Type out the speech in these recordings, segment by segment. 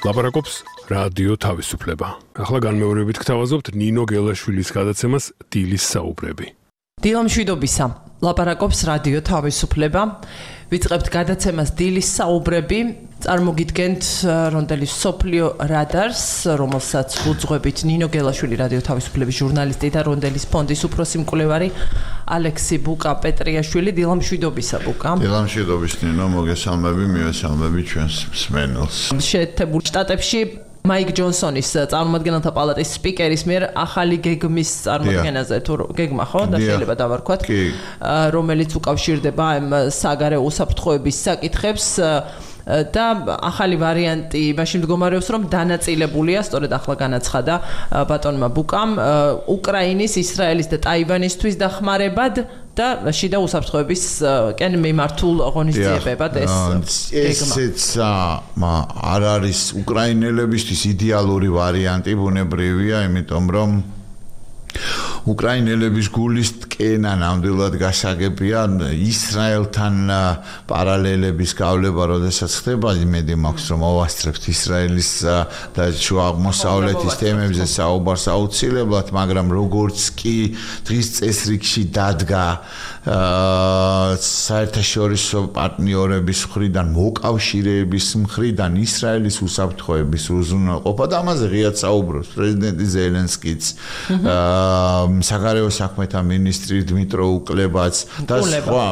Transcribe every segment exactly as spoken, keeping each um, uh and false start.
ლაპარაკობს რადიო თავისუფლება. ახლა განმეორებით გთავაზობთ ნინო გელაშვილის გადაცემას დილის საუბრები. დილა მშვიდობისა. ლაპარაკობს რადიო თავისუფლება. ვიწყებთ გადაცემას დილის საუბრები. წარმოგიდგენთ რონდელის სოფლიო რადარს, რომელსაც უძღვებით ნინო გელაშვილი რადიო თავისუფლების ჟურნალისტი და რონდელის ფონდის უფროსი მკვლევარი ალექსი ბუკა პეტრიაშვილი. დილა მშვიდობისა ბუკა. დილა მშვიდობის ნინო, მოგესალმები, მივესალმები ჩვენს მსმენელს. შეერთებულ შტატებში მაიკ ჯონსონის წარმომადგენელთა პალატის სპიკერის მიერ ახალი გეგმის წარმოქმნაზე თუ გეგმა ხო და შეიძლება დავარქვათ, რომელიც უკავშირდება ამ საგარეო უსაფრთხოების საკითხებს და ახალი ვარიანტი მაშინ მდგომარეობს, რომ დანაწილებულია, სწორედ ახლა განაცხადა ბატონმა ბუკამ, უკრაინის, ისრაელის და ტაივანისთვის დახმარებად და შიდა უსაფრთხოების კენ მიმართულ ღონისძიებებად ეს ესეც არ არის უკრაინელებისთვის იდეალური ვარიანტი, ბუნებრივია, იმიტომ რომ უკრაინელების გულის ტკენა ნამდვილად გასაგებია ისრაელთან პარალელების გავლება, როდესაც ხდება, იმედი მაქვს, რომ მოვასწრებთ ისრაელის და შუა აღმოსავლეთის თემებზე საუბარს აუცილებლად, მაგრამ როგორც კი დღის წესრიგში დადგა საერთაშორისო პარტნიორების მხრიდან, მოკავშირეების მხრიდან ისრაელის უსაფრთხოების უზრუნველყოფა და ამაზე ღიად საუბრობს პრეზიდენტი ზელენსკიც, საგარეო საქმეთა მინისტრი დმიტრო უკლებაც და სხვა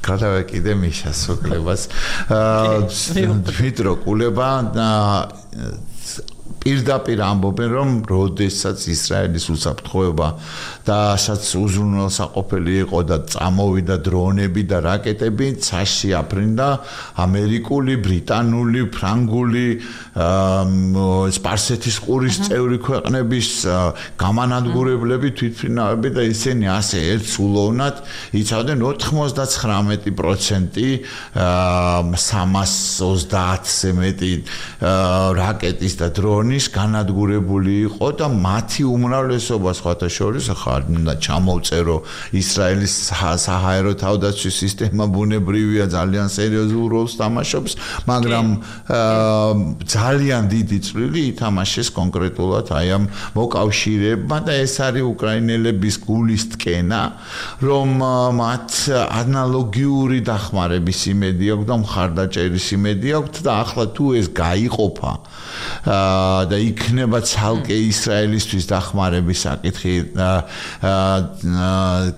გადავეკიდე მიშას უკლებაც დმიტრო კულება პირდაპირ ამბობენ, რომ როდესაც ისრაელის უსაფრთხოება და სადაც უზრუნველსაყოფელი იყო და წამოვიდა დრონები და რაკეტები, ცაში აფრინდა ამერიკული, ბრიტანული, ფრანგული, სპარსეთის ყურის წევრი ქვეყნების გამანადგურებლები, თვითმფრინავები და ისინი ასე ერთსულოვნად იცავდნენ ოთხმოცდათხრამეტი პროცენტი სამას ოცდაათზე მეტი რაკეტის და დრონის განადგურებული იყო და მათი უმრავლესობა სხვათა შორის ახლა უნდა ჩამოვწერო ისრაელის საჰაერო თავდაცვის სისტემა ბუნებრივია ძალიან სერიოზულ როლს თამაშობს, მაგრამ ძალიან დიდი წვლილი ითამაშეს კონკრეტულად აი ამ მოკავშირეებმა და ეს არის უკრაინელების გულის ტკენა, რომ მათ ანალოგიური დახმარების იმედი აქვს და მხარდაჭერის იმედი აქვს და ახლა თუ ეს გაიყოფა და იქნება ცალკე ისრაელისთვის დახმარების საკითხი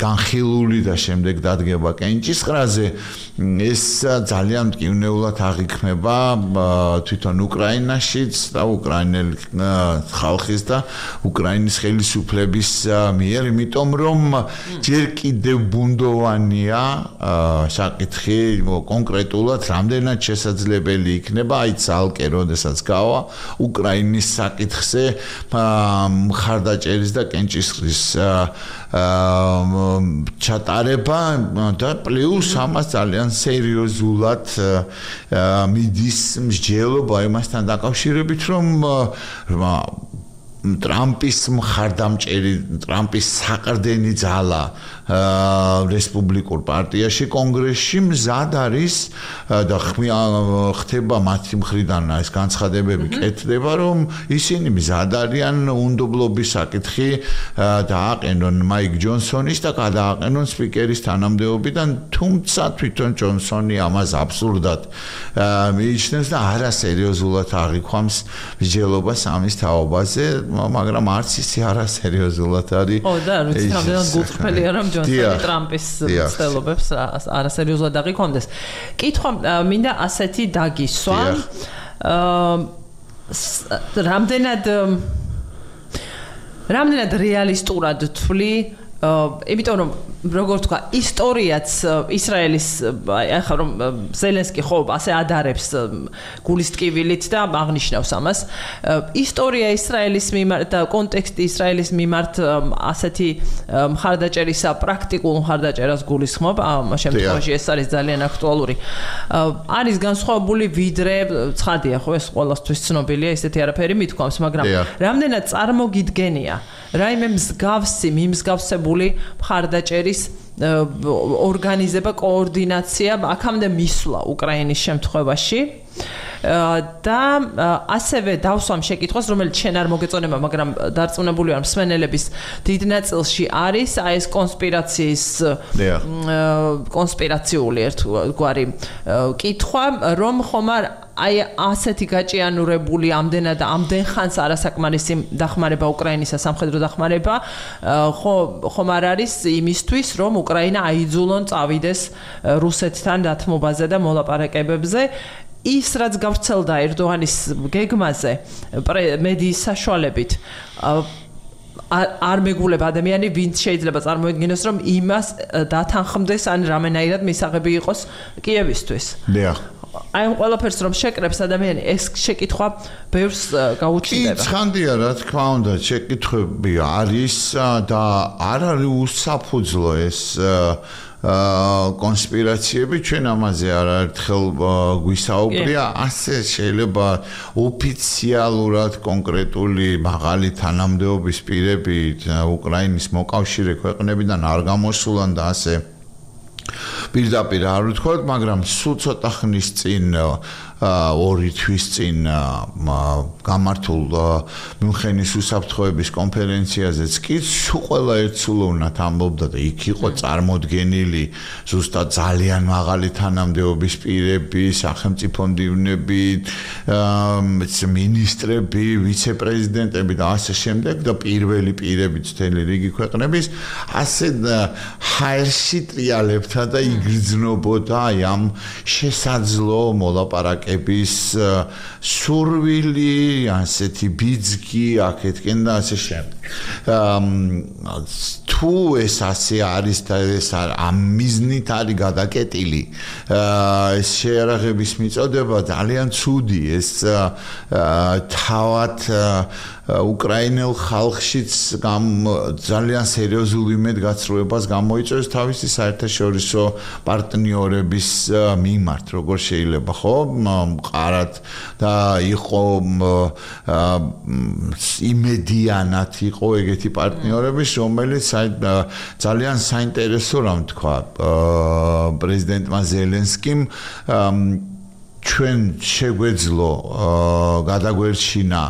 განხილული და შემდეგ დადგება კენჭისყრაზე, ეს ძალიან მტკივნეულად აღიქმება თვითონ უკრაინაშიც და უკრაინელ ხალხის და უკრაინის ხელისუფლების მიერ, იმიტომ რომ ჯერ კიდევ ბუნდოვანია საკითხი კონკრეტულად რამდენად შესაძლებელი იქნება აი ცალკე როდესაც გავა უკრაინის საკითხზე მხარდაჭერის და კენჭისყრის ჩატარება და პლუს ამას ძალიან სერიოზულად მიდის მსჯელობა იმასთან დაკავშირებით, რომ ტრამპის მხარდამჭერი, ტრამპის საყრდენი ძალა რესპუბლიკურ პარტიაში, კონგრესში მზად არის და ხდება მათი მხრიდან ეს განცხადებები კეთდება, რომ ისინი მზად არიან უნდობლობის საკითხი დააყენონ მაიკ ჯონსონის და გადააყენონ სპიკერის თანამდებობიდან, თუმცა თვითონ ჯონსონი ამას აბსურდად მიიჩნევს და არასერიოზულად აღიქვამს მსჯელობას ამის თაობაზე, მაგრამ არც ისე არასერიოზულად არის. ო და როცა რამდენად გულწრფელია, რომ ჯონსონი ტრამპის ცდილობებს არასერიოზულად აღიქვამდეს. კითხვა მინდა ასეთი დაგისვა. რამდენად რამდენად რეალისტურად თვლი, იმიტომ რომ როგორ თქვა, ისტორიაც ისრაელის ახლა რომ ზელენსკი ხო ასე ადარებს გულის ტკივილით და აღნიშნავს ამას, ისტორია ისრაელის მიმართ და კონტექსტი ისრაელის მიმართ ასეთი მხარდაჭერისა, პრაქტიკულ მხარდაჭერას გულისხმობ, ამ შემთხვევაში ეს არის ძალიან აქტუალური. არის განსხვავებული ვიდრე ცხადია ხო, ეს ყველასთვის ცნობილია, ისეთი არაფერი მithქვამს, მაგრამ რამდენად წარმოგიდგენია რაიმე მსგავსი, მიმსგავსებული მხარდაჭერის ორგანიზება, კოორდინაცია აქამდე მისვლა უკრაინის შემთხვევაში. და ასევე დავსვამ შეკითხვას, რომელიც შენ არ მოგეწონება, მაგრამ დარწმუნებული ვარ მსმენელების დიდ ნაწილში არის აი ეს კონსპირაციის კონსპირაციული ერთგვარი კითხვა, რომ ხომ არ აი ასეთი გაჭიანურებული ამდენად ამდენ ხანს არასაკმარისი დახმარება უკრაინისა სამხედრო დახმარება ხომ არ არის იმისთვის, რომ უკრაინა აიძულონ წავიდეს რუსეთთან დათმობაზე და მოლაპარაკებებზე. ის რაც გავრცელდა ერდოღანის გეგმაზე მედიის საშუალებით არ მეგულება ადამიანი, ვინც შეიძლება წარმოედგინოს, რომ იმას დათანხმდეს ან რამენაირად მისაღები იყოს კიევისთვის. დიახ. აი ამ ყველაფერს რომ შეკრებს ადამიანი, ეს შეკითხვა ბევრს გაუჩნდება. კი, ცხანდია, რა თქმა უნდა, შეკითხვები არის და არ არის უსაფუძვლო ეს კონსპირაციები, ჩვენ ამაზე არაერთხელ გვისაუბრია, ასე შეიძლება ოფიციალურად კონკრეტული მაღალი თანამდებობის პირები უკრაინის მოკავშირე ქვეყნებიდან არ გამოსულან და ასე პირდაპირ არ ვთქვათ, მაგრამ სულ ცოტა ხნის წინ ორი თვის წინ გამართულ მიუნხენის უსაფრთხოების კონფერენციაზეც კი სულ ყველა ერთსულოვნად ამბობდა და იქ იყო წარმოდგენილი ზუსტად ძალიან მაღალი თანამდებობის პირები, სახელმწიფო მდივნები, მინისტრები, ვიცე-პრეზიდენტები და ასე შემდეგ და პირველი პირები მთელი რიგი ქვეყნების ასე ჰაერში ტრიალებდა და იგრძნობოდა აი ამ შესაძლო მოლაპარაკების სურვილი, ასეთი ბიძგი აქეთკენ და ასე შემდეგ. თუ ეს ასე არის და ეს ამ მიზნით არის გადაკეტილი ეს შეერაღების მიწოდება ძალიან ცუდი, ეს თავად უკრაინელ ხალხშიც ძალიან სერიოზულ იმედგაცრუებას გამოიწვევს თავისი საერთაშორისო პარტნიორების მიმართ, როგორ შეიძლება ხო მყარად და იყო იმედიანად იყო ეგეთი პარტნიორების, რომელიც ძალიან საინტერესო რამ თქვა პრეზიდენტმა ზელენსკიმ ჩვენ შეგვეძლო გადაგვერჩინა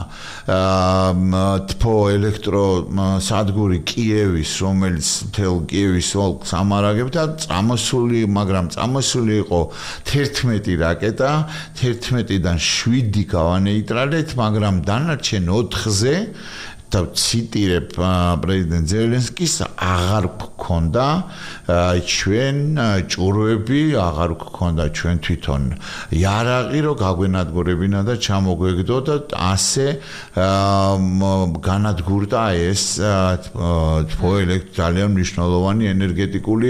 თფო ელექტროსადგური კიევის, რომელიც მთელ კიევის ოლქს ამარაგებდა, წამოსული, მაგრამ წამოსული იყო თერთმეტი რაკეტა, თერთმეტიდან შვიდი გავანეიტრალეთ, მაგრამ დანარჩენ ოთხზე და ციტირებ პრეზიდენტ ზელენსკის აღარ გქონდა ჩვენ ჭურვები, აღარ გქონდა ჩვენ თვითონ იარაღი, რომ გაგვენადგურებინა და ჩამოგვეგდო და ასე განადგურდა ეს ძალიან მნიშვნელოვანი ენერგეტიკული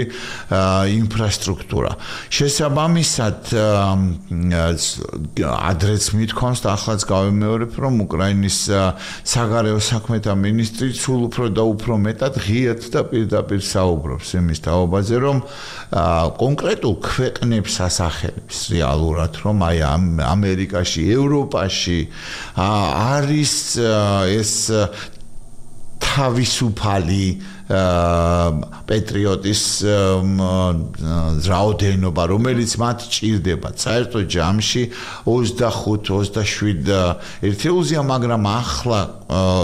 ინფრასტრუქტურა. შესაბამისად ადრეც მithქვამს და ახლაც გავიმეორებ, რომ უკრაინის საგარეო საქმეთა მინისტრი სულ უფრო და უფრო მეტად ღიად და პირდაპირ საუბრობს იმის თაობაზე, რომ კონკრეტულ ქვეყნებს ასახელებს რეალურად, რომ აი ამერიკაში, ევროპაში არის ეს თავისუფალი პეტრიოტის რაოდენობა, რომელიც მათ ჭირდება საერთო ჯამში ოცდახუთ ოცდაშვიდ ერთეულზეა, მაგრამ ახლა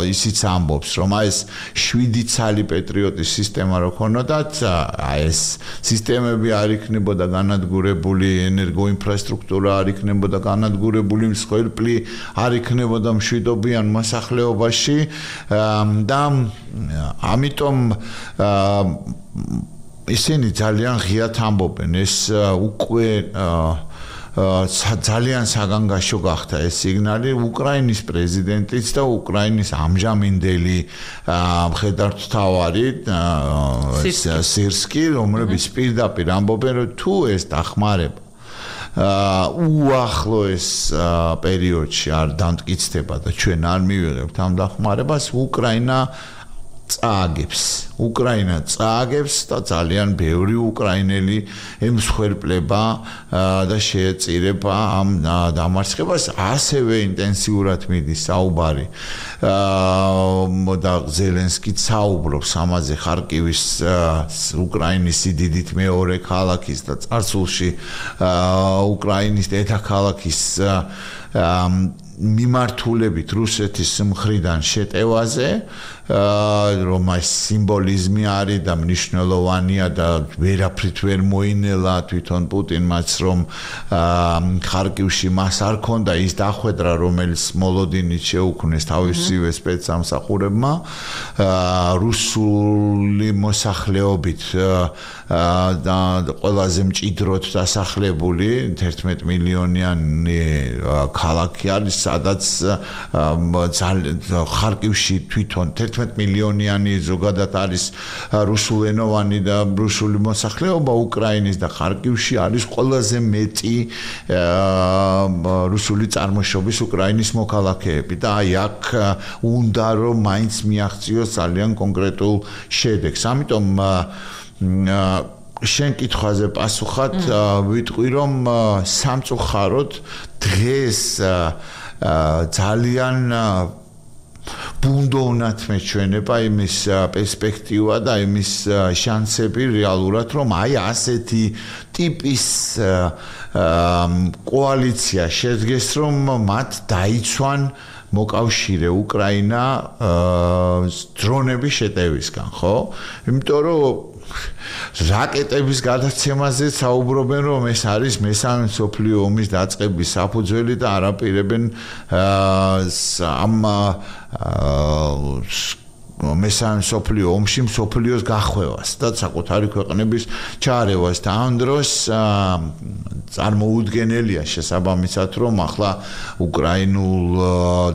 ისიც ამბობს, რომ აი ეს შვიდი ცალი პეტრიოტის სისტემა რო ქონოდათ, აი ეს სისტემები არ იქნებოდა განადგურებული, ენერგოინფრასტრუქტურა არ იქნებოდა განადგურებული, მსხვერპლი არ იქნებოდა მშვიდობიან მოსახლეობაში და ამიტომ ისინი ძალიან ღიად ამბობენ, ეს უკვე ძალიან საგანგაშო გახდა ეს სიგნალი უკრაინის პრეზიდენტიც და უკრაინის ამჟამინდელი მხედართმთავარი სირსკი, რომლებიც პირდაპირ ამბობენ, რომ თუ ეს დახმარება უახლოეს პერიოდში არ დამტკიცდება და ჩვენ არ მივიღებთ ამ დახმარებას, უკრაინა წააგებს უკრაინა წააგებს და ძალიან ბევრი უკრაინელი ემსხვერპლება და შეეწირება ამ დამარცხებას ასევე ინტენსიურად მიდის საუბარი და ზელენსკი საუბრობს ამაზე ხარკივის უკრაინის სიდიდით მეორე ქალაქის და წარსულში უკრაინის დედაქალაქის მიმართულებით რუსეთის მხრიდან შეტევაზე რომ ეს სიმბოლიზმი არის და მნიშვნელოვანია და ვერაფრით ვერ მოინელა თვითონ პუტინმაც რომ ხარკივში მას არ ქონდა ის დახვედრა რომელიც მოლოდინით შეუქმნეს თავისივე სპეცსამსახურებმა რუსული მოსახლეობით და ყველაზე მჭიდროდ დასახლებული თერთმეტ მილიონიანი ქალაქი არის სადაც ხარკივში თვითონ თერთმეტ მილიონიანი ზოგადად არის რუსულენოვანი და რუსული მოსახლეობა უკრაინის და ხარკივში არის ყველაზე მეტი რუსული წარმოშობის უკრაინის მოქალაქეები და აი აქ უნდა რომ მაინც მიაღწიოს ძალიან კონკრეტულ შედეგს ამიტომ შენ კითხვაზე პასუხად ვიტყვი რომ სამწუხაროდ დღეს ძალიან ბუნდოვნად მეჩვენება იმის პერსპექტივა და იმის შანსები რეალურად რომ აი ასეთი ტიპის კოალიცია შედგეს რომ მათ დაიცვან მოკავშირე უკრაინა დრონების შეტევისგან ხო იმიტომ რომ რაკეტების გადაცემაზე საუბრობენ რომ ეს არის მესამე მსოფლიო ომის დაწყების საფუძველი და არაპირებენ ამ მესამე მსოფლიო ომში მსოფლიოს გახვევას და საკუთარი ქვეყნების ჩარევას და ამ დროს წარმოუდგენელია შესაბამისად რომ ახლა უკრაინულ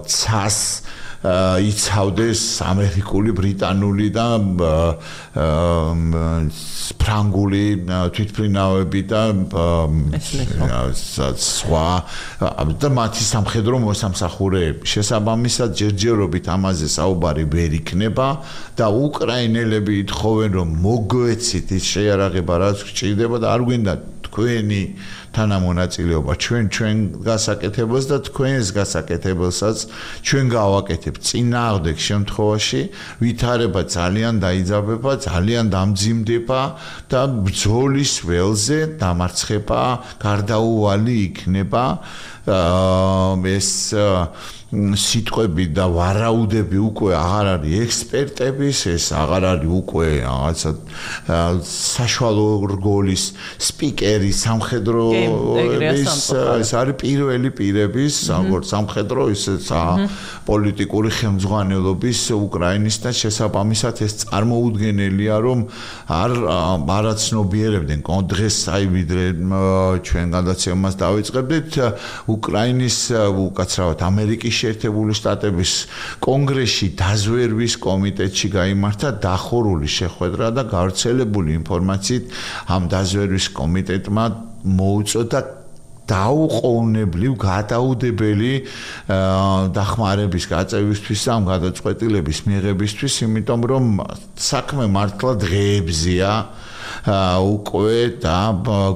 ცას იცავდეს ამერიკული, ბრიტანული და ფრანგული თვითმფრინავები და სხვა და მათი სამხედრო მოსამსახურეები. შესაბამისად ჯერჯერობით ამაზე საუბარი ვერ იქნება და უკრაინელები ითხოვენ რომ მოგვეცით ის შეიარაღება რაც გჭირდება და არ გვინდა თქვენი თანამონაწილეობა ჩვენ ჩვენ გასაკეთებელს და თქვენს გასაკეთებელსაც ჩვენ გავაკეთებ წინააღმდეგ შემთხვევაში ვითარება ძალიან დაიძაბება ძალიან დამძიმდება და ბრძოლის ველზე დამარცხება გარდაუვალი იქნება ეს სიტყვები და ვარაუდები უკვე აღარ არის ექსპერტების ეს აღარ არის უკვე რაღაცა საშუალო რგოლის სპიკერი სამხედრო ეს არის პირველი პირების როგორც სამხედრო ისე პოლიტიკური ხელმძღვანელობის უკრაინის და შესაბამისად ეს წარმოუდგენელია რომ არ არაცნობიერებდნენ დღეს აი ვიდრე ჩვენ გადაცემას დავიწყებდით უკრაინის უკაცრავად ამერიკის შეერთებული შტატების კონგრესში დაზვერვის კომიტეტში გაიმართა დახურული შეხვედრა და გავრცელებული ინფორმაციით ამ დაზვერვის კომიტეტმა მოუწოდა დაუყოვნებლივ გადაუდებელი დახმარების გაწევისთვის ამ გადაწყვეტილების მიღებისთვის იმიტომ რომ საქმე მართლა დღეებზია უკვე და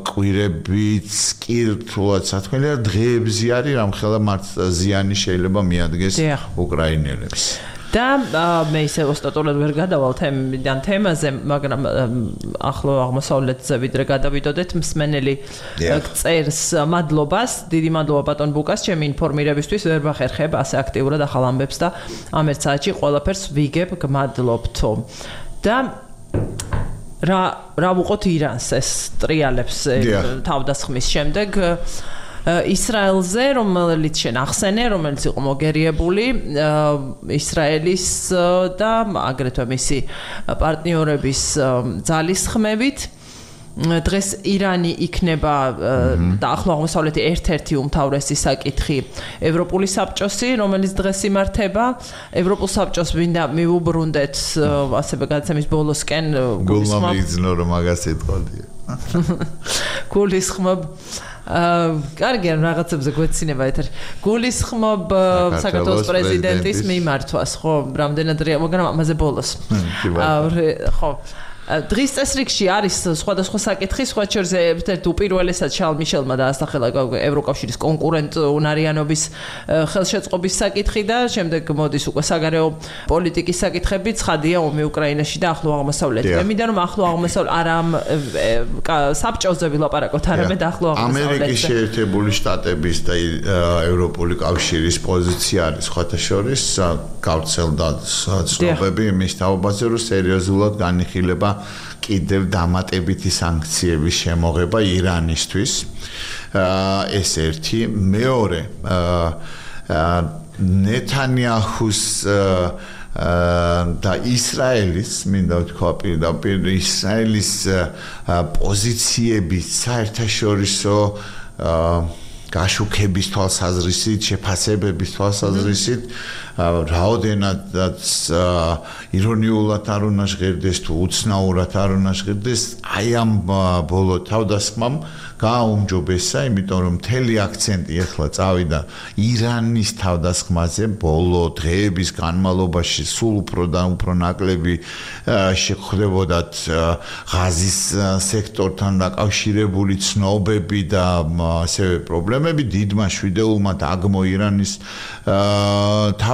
კვირებიც კი რთულად საქმეა დღეებზე არის რამხელა მართლა ზიანი შეიძლება მიადგეს უკრაინელებს და მე ისე ოსტატურად ვერ გადავალ თემიდან თემაზე, მაგრამ ახლო აღმოსავლეთზე ვიდრე გადავიდოდეთ მსმენელი წერს მადლობას, დიდი მადლობა ბატონ ბუკას, ჩემი ინფორმირებისთვის ვერ ვახერხებ ასე აქტიურად ახალ ამბებს და ამ ერთ საათში ყველაფერს ვიგებ, გმადლობთო. და რა რა ვუყოთ ირანს ეს ტრიალებს თავდასხმის შემდეგ ისრაელზე, რომელიც შენ ახსენე, რომელიც იყო მოგერიებული ისრაელის და აგრეთვე მისი პარტნიორების ძალისხმევით. დღეს ირანი იქნება და ახლო აღმოსავლეთი ერთ-ერთი უმთავრესი საკითხი ევროპული საბჭოსი, რომელიც დღეს იმართება. ევროპულ საბჭოს ვინდა მივუბრუნდეთ ასევე გადაცემის ბოლოსკენ გულმა მიგზნო რომ მაგას ეთყოდია. გულისხმობ აა კარგი ან რაღაცებზე გვეცინება ეთერ. გულისხმობ საქართველოს პრეზიდენტის მიმართვას, ხო, რამდენად რეალ, მაგრამ ამაზე ბოლოს. ხო. დღის წესრიგში არის სხვადასხვა საკითხი, სხვა შორის ერთ-ერთ უპირველესად შარლ მიშელმა დაასახელა ევროკავშირის კონკურენტ უნარიანობის ხელშეწყობის საკითხი და შემდეგ მოდის უკვე საგარეო პოლიტიკის საკითხები, ცხადია ომი უკრაინაში და ახლო აღმოსავლეთში. მე მინდა რომ ახლო აღმოსავლეთ არა საბჭოზე ვილაპარაკოთ, არამედ ახლო აღმოსავლეთში. ამერიკის შეერთებული შტატების და ევროპული კავშირის პოზიცია არის სხვათა შორის გავრცელდა ცნობები იმის თაობაზე, რომ სერიოზულად განიხილება კიდევ დამატებითი სანქციების შემოღება ირანისთვის. ეს ერთი, მეორე ნეთანიაჰუს და ისრაელის, მინდა ვთქვა პირდაპირ ისრაელის პოზიციების საერთაშორისო გაშუქების თვალსაზრისით, შეფასებების თვალსაზრისით რაოდენადაც ირონიულად არ უნდა ჟღერდეს თუ უცნაურად არ უნდა ჟღერდეს, აი ამ ბოლო თავდასხმამ გააუმჯობესა, იმიტომ რომ მთელი აქცენტი ახლა წავიდა ირანის თავდასხმაზე, ბოლო დღეების განმავლობაში სულ უფრო და უფრო ნაკლები შეხვდებოდათ ღაზის სექტორთან დაკავშირებული ცნობები და ასევე პრობლემები, დიდმა შვიდეულმა დაგმო ირანის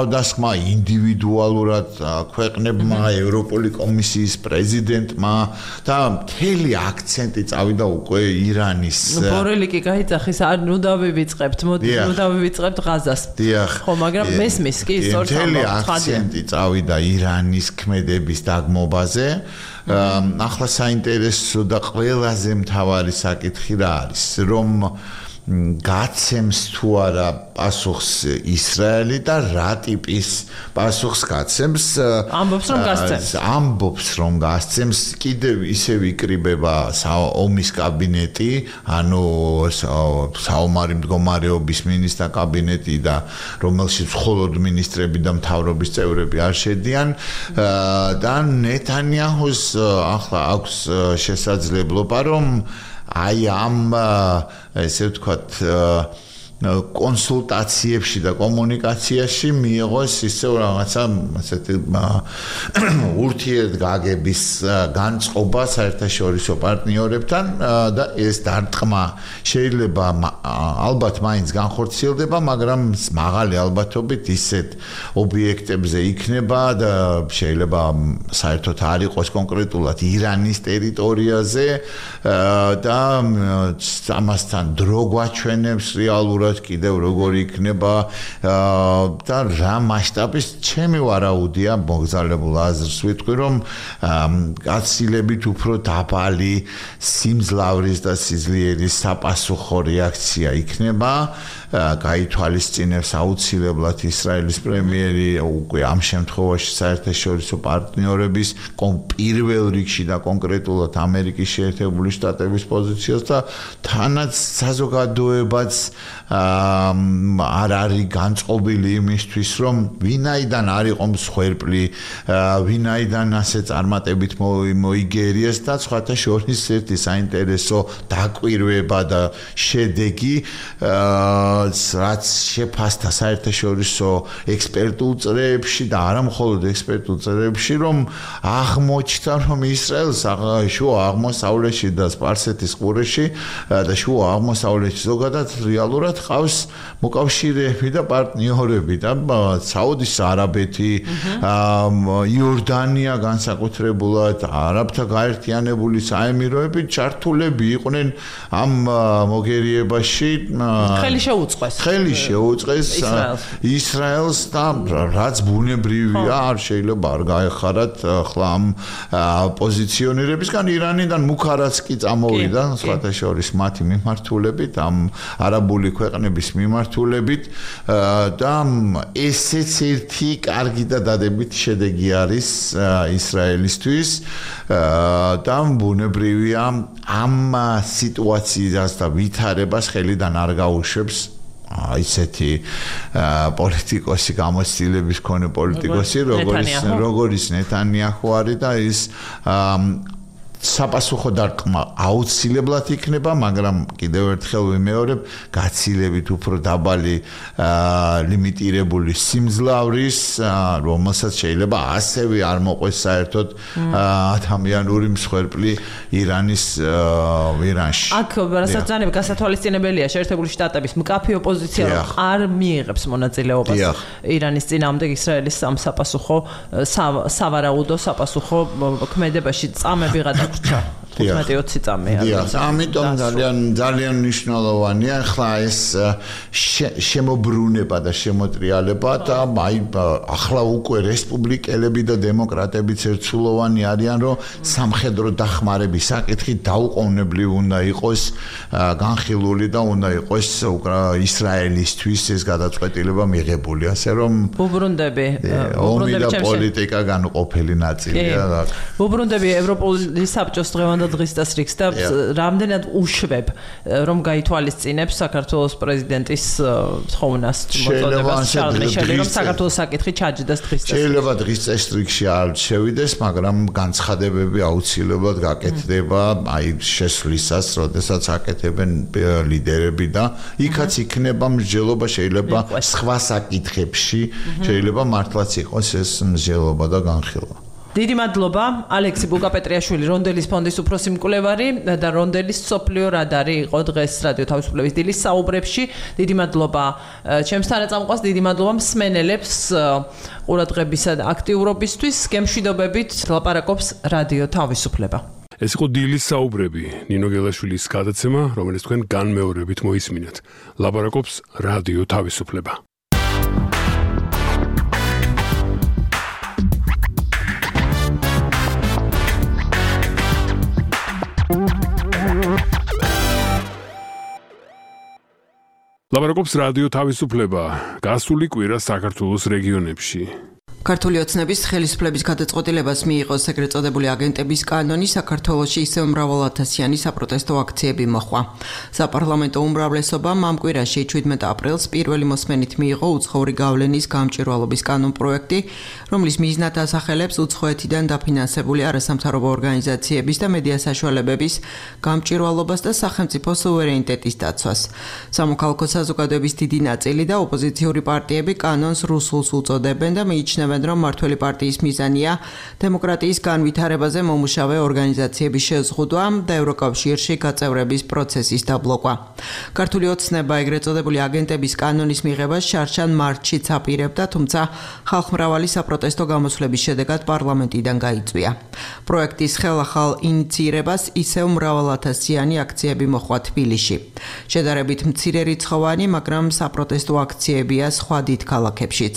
თავდასხმა ინდივიდუალურად ქვეყნებმა, ევროპული კომისიის პრეზიდენტმა და მთელი აქცენტი წავიდა უკვე ირანის. ბორელი კი გაიძახის, არ ნუ დავივიწყებთ, მოდი ნუ დავივიწყებთ ღაზას. ხო, მაგრამ მესმის კი სწორს მთელი აქცენტი წავიდა ირანის ქმედების დაგმობაზე. ახლა საინტერესო და ყველაზე მთავარი საკითხი რა არის, რომ გაცემს თუ არა პასუხს ისრაელი და რა ტიპის პასუხს გაცემს? ამბობს რომ გასცემს. ამბობს რომ გასცემს, კიდევ ისევ იკრიბება ომის კაბინეტი, ანუ საომარი მდგომარეობის მინისტრთა კაბინეტი და რომელშიც მხოლოდ მინისტრები და მთავრობის წევრები არ შედიან და ნეთანიაჰუს ახლა აქვს შესაძლებლობა რომ აი ამ ესე ვთქვათ კონსულტაციებში და კომუნიკაციაში მიიღოს ისევ რაღაცა ასეთი ურთიერთგაგების განწყობა საერთაშორისო პარტნიორებთან და ეს დარტყმა შეიძლება ალბათ მაინც განხორციელდება, მაგრამ მაღალი ალბათობით ისეთ ობიექტებზე იქნება და შეიძლება საერთოდ არ იყოს კონკრეტულად ირანის ტერიტორიაზე და ამასთან დრო გვაჩვენებს რეალურად კიდევ როგორი იქნება და რა მასშტაბის ჩემი ვარაუდია მოგზაურებულ აზრს ვიტყვი რომ გაცილებით უფრო დაბალი სიმძლავრის და სიძლიერის საპასუხო რეაქცია იქნება გაითვალისწინებს აუცილებლად ისრაელის პრემიერი უკვე ამ შემთხვევაში საერთაშორისო პარტნიორების პირველ რიგში და კონკრეტულად ამერიკის შეერთებული შტატების პოზიციას და თანაც საზოგადოებაც არ არის განწყობილი იმისთვის რომ ვინაიდან არ იყო მსხვერპლი, ვინაიდან ასე წარმატებით მოიგერიეს და სხვათა შორის ერთი საინტერესო დაკვირვება და შედეგი რაც შეფასდა საერთაშორისო ექსპერტულ წრეებში და არა მხოლოდ ექსპერტულ წრეებში, რომ აღმოჩნდა, რომ ისრაელს შუა აღმოსავლეთში და სპარსეთის ყურეში და შუა აღმოსავლეთში ზოგადად რეალურად ყავს მოკავშირეები და პარტნიორები და საუდის არაბეთი, იორდანია განსაკუთრებულად, არაბთა გაერთიანებული საემიროები ჩართულები იყვნენ ამ მოგერიებაში. ხელი შეუწყეს. ხელი შეუწყეს ისრაელს და რაც ბუნებრივია, არ შეიძლება არ გაეხარათ ახლა ამ პოზიციონირებისგან ირანიდან მუქარაც კი წამოვიდა სხვათა შორის მათი მიმართულებით, ამ არაბული ქვეყნების მიმართულებით და ესეც ერთი კარგი და დადებითი შედეგი არის ისრაელისთვის და ბუნებრივია ამ სიტუაციას და ვითარებას ხელიდან არ გაუშვებს ისეთი პოლიტიკოსი გამოცდილების მქონე პოლიტიკოსი როგორც როგორც ნეთანიაჰუ არის და ის საპასუხო დარტყმა აუცილებლად იქნება, მაგრამ კიდევ ერთხელ ვიმეორებ, გაცილებით უფრო დაბალი ლიმიტირებული სიმძლავრის, რომელსაც შეიძლება ასევე არ მოყვეს საერთოდ ადამიანური მსხვერპლი ირანის ირანში. აქ რასაც ძალიან გასათვალისწინებელია შეერთებული შტატების მკაფე ოპოზიცია არ მიიღებს მონაწილეობას ირანის წინააღმდეგ ისრაელის სამსაპასუხო სავარაუდო საპასუხო ქმედებაში წამები გადაგრჩა. თხუთმეტი ოცი წამია. ამიტომ ძალიან ძალიან მნიშვნელოვანია ახლა ეს შემოbrunება და შემოტრიალება და აი ახლა უკვე რესპუბლიკელები და დემოკრატებიც ერთსულოვანი არიან, რომ სამხედრო დახმარების საკითხი დაუყოვნებლივ უნდა იყოს განხილული და უნდა იყოს ისრაელისთვის ეს გადაწყვეტილება მიღებული, ასე რომ უბრუნდები ომი და პოლიტიკა განუყოფელი ნაწილია. უბრუნდები ევროპული საბჭოს დღევანდელ დღის დასრიგს და რამდენად უშვებ რომ გაითვალისწინებს საქართველოს პრეზიდენტის თხოვნას მოწოდებას შარლ მიშელი რომ საქართველოს საკითხი ჩაჯდას დღის დასრიგს. შეიძლება დღის წესრიგში არ შევიდეს, მაგრამ განცხადებები აუცილებლად გაკეთდება აი შესვლისას, როდესაც აკეთებენ ლიდერები და იქაც იქნება მსჯელობა, შეიძლება სხვა საკითხებში შეიძლება მართლაც იყოს ეს მსჯელობა და განხილვა. დიდი მადლობა ალექსი ბუკაპეტრიაშვილი, რონდელის ფონდის უფროსი მკვლევარი და რონდელის სოფლიო რადარი იყო დღეს რადიო თავისუფლების დილის საუბრებში. დიდი მადლობა ჩემს თანაწამყვას, დიდი მადლობა მსმენელებს ყურადღებისა და აქტიურობისთვის. გემშვიდობებით ლაპარაკობს რადიო თავისუფლება. ეს იყო დილის საუბრები, ნინო გელაშვილის გადაცემა, რომელიც თქვენ განმეორებით მოისმინეთ. ლაპარაკობს რადიო თავისუფლება. ლაპარაკობს რადიო თავისუფლება. გასული კვირა საქართველოს რეგიონებში. ქართული ოცნების ხელისუფლების გადაწყვეტილებას მიიღო ეგრეთ წოდებული აგენტების კანონი, საქართველოში ისევ მრავალათასიანი საპროტესტო აქციები მოხდა. საპარლამენტო უმრავლესობამ ამ კვირაში შვიდმეტ აპრილს პირველი მოსმენით მიიღო უცხოური გავლენის გამჭვირვალობის კანონპროექტი, რომლის მიზნად ასახელებს უცხოეთიდან დაფინანსებული არასამთავრობო ორგანიზაციების და მედია საშუალებების გამჭვირვალობას და სახელმწიფო სუვერენიტეტის დაცვას. სამოქალაქო საზოგადოების დიდი ნაწილი და ოპოზიციური პარტიები კანონს რუსულს უწოდებენ და მიიჩნევენ რომ მართველი პარტიის მიზანია დემოკრატიის განვითარებაზე მომუშავე ორგანიზაციების შეზღუდვა და ევროკავშირში გაწევრების პროცესის დაბლოკვა. ქართული ოცნება ეგრეთ წოდებული აგენტების კანონის მიღებას შარშან მარტშიც აპირებდა, თუმცა ხალხმრავალი საპროტესტო გამოსვლების შედეგად პარლამენტიდან გაიწვია. პროექტის ხელახალ ინიცირებას ისევ მრავალათასიანი აქციები მოხდა თბილისში. შედარებით მცირე რიცხოვანი, მაგრამ საპროტესტო აქციებია სხვა დიდ ქალაქებშიც.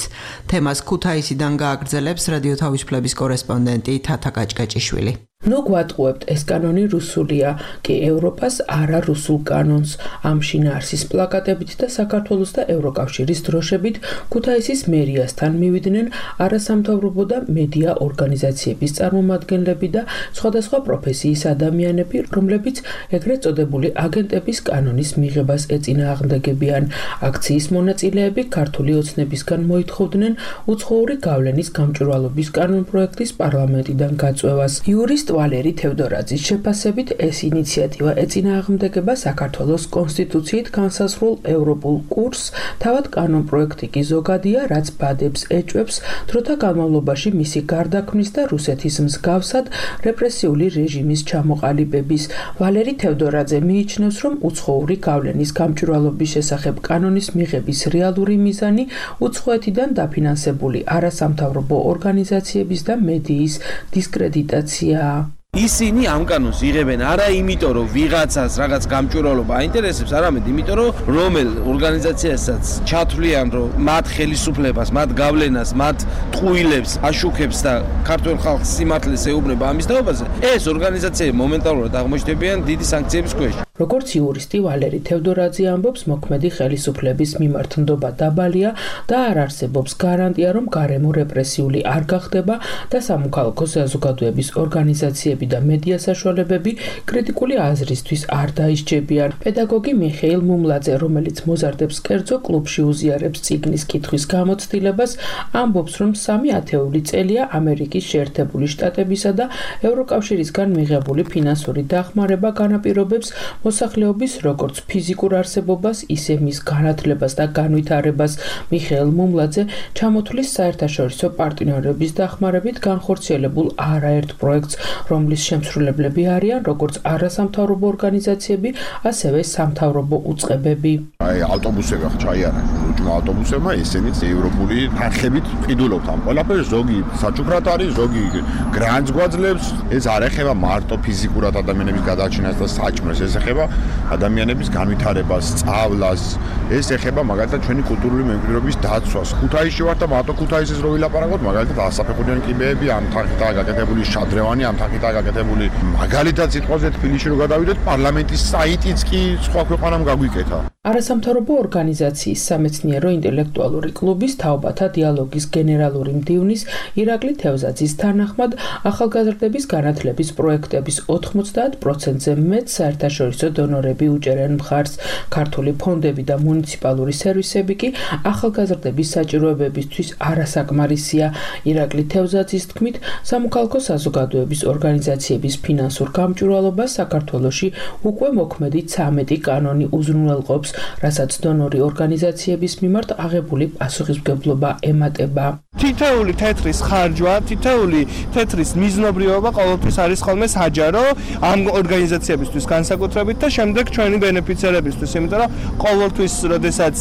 თემას ქუთაისიდან გააგრძელებს რადიო თავისუფლების კორესპონდენტი თათა გაჭკაჭიშვილი. ნუ გვატყუებთ, ეს კანონი რუსულია, კი ევროპას არა რუსულ კანონს. ამ შინაარსის პლაკატებით და საქართველოს და ევროკავშირის დროშებით ქუთაისის მერიასთან მივიდნენ არასამთავრობო და მედია ორგანიზაციების წარმომადგენლები და სხვადასხვა პროფესიის ადამიანები, რომლებიც ეგრეთ წოდებული აგენტების კანონის მიღებას ეწინააღმდეგებიან. აქციის მონაწილეები ქართული ოცნებისგან მოითხოვდნენ უცხოური გავლენის გამჭვირვალობის კანონპროექტის პარლამენტიდან გაწვევას. იურისტ ვალერი თევდორაძის შეფასებით ეს ინიციატივა ეწინააღმდეგება საქართველოს კონსტიტუციით განსაზღვრულ ევროპულ კურსს, თავად კანონპროექტი კი ზოგადია, რაც ბადებს ეჭვებს დროთა განმავლობაში მისი გარდაქმნის და რუსეთის მსგავსად რეპრესიული რეჟიმის ჩამოყალიბების. ვალერი თევდორაძე მიიჩნევს, რომ უცხოური გავლენის გამჭვირვალობის შესახებ კანონის მიღების რეალური მიზანი უცხოეთიდან დაფინანსებული არასამთავრობო ორგანიზაციების და მედიის დისკრედიტაციაა. ისინი ამ კანონს იღებენ არა იმიტომ, რომ ვიღაცას რაღაც გამჭვირვალობა აინტერესებს, არამედ იმიტომ, რომ რომელ ორგანიზაციასაც ჩათვლიან, რომ მათ ხელისუფლებას, მათ გავლენას, მათ ტყუილებს აშუქებს და ქართულ ხალხს სიმართლეს ეუბნება ამის თაობაზე, ეს ორგანიზაციები მომენტალურად აღმოჩნდებიან დიდი სანქციების ქვეშ. როგორც იურისტი ვალერი თევდორაძე ამბობს, მოქმედი ხელისუფლების მიმართ ნდობა დაბალია და არ არსებობს გარანტია, რომ გარემო რეპრესიული არ გახდება და სამოქალაქო საზოგადოების ორგანიზაციები და მედია საშუალებები კრიტიკული აზრისთვის არ დაისჯებიან. პედაგოგი მიხეილ მუმლაძე, რომელიც მოზარდებს კერძო კლუბში უზიარებს წიგნის კითხვის გამოცდილებას, ამბობს, რომ სამი ათეული წელია ამერიკის შეერთებული შტატებისა და ევროკავშირისგან მიღებული ფინანსური დახმარება განაპირობებს მოსახლეობის როგორც ფიზიკურ არსებობას, ისე მის განათლებას და განვითარებას. მიხეილ მუმლაძე ჩამოთვლის საერთაშორისო პარტნიორების დახმარებით განხორციელებულ არაერთ პროექტს, რომლის შემსრულებლები არიან როგორც არასამთავრობო ორგანიზაციები, ასევე სამთავრობო უწყებები. აი ავტობუსები ხა ჩაიარა, უჯმა ავტობუსებმა ესენიც ევროპული თანხებით ყიდულობთ ამ ყველაფერს, ზოგი საჩუქრად არის, ზოგი გრანტს გვაძლევს. ეს არ ეხება მარტო ფიზიკურად ადამიანების გადაარჩენას და საჭმელს, ეს ეხება ადამიანების განვითარებას, სწავლას, ეს ეხება მაგალითად ჩვენი კულტურული მემკვიდრეობის დაცვას. ქუთაისში ვარ და მარტო ქუთაისის რო ვილაპარაკოთ, მაგალითად ასაფეხურიანი კიბეები, ამ თანხითაა გაკეთებული შადრევანი, ამ თანხითაა გაკეთებული. მაგალითად სიტყვაზე თბილისში რო გადავიდეთ, პარლამენტის საიტიც კი სხვა ქვეყანამ გაგვიკეთა. არასამთავრობო ორგანიზაციის სამეცნიერო ინტელექტუალური კლუბის თაობათა დიალოგის გენერალური მდივნის ირაკლი თევზაძის თანახმად, ახალგაზრდების განათლების პროექტების ოთხმოცდაათ პროცენტზე მეტ საერთაშორისო დონორები უჭერენ მხარს. ქართული ფონდები და მუნიციპალური სერვისები კი ახალგაზრდების საჭიროებებისთვის არასაკმარისია. ირაკლი თევზაძის თქმით, სამოქალაქო საზოგადოების ორგანიზაციების ფინანსურ გამჭვირვალობას საქართველოში უკვე მოქმედი ცამეტი კანონი უზრუნველყოფს, რასაც დონორი ორგანიზაციების მიმართ აღებული პასუხისმგებლობა ემატება. თითოეული თეთრის ხარჯვა, თითოეული თეთრის მიზნობრიობა ყოველთვის არის ხოლმე საჯარო ამ ორგანიზაციებისთვის განსაკუთრებით და შემდეგ ჩვენი ბენეფიციარებისთვის, იმიტომ რომ ყოველთვის, როდესაც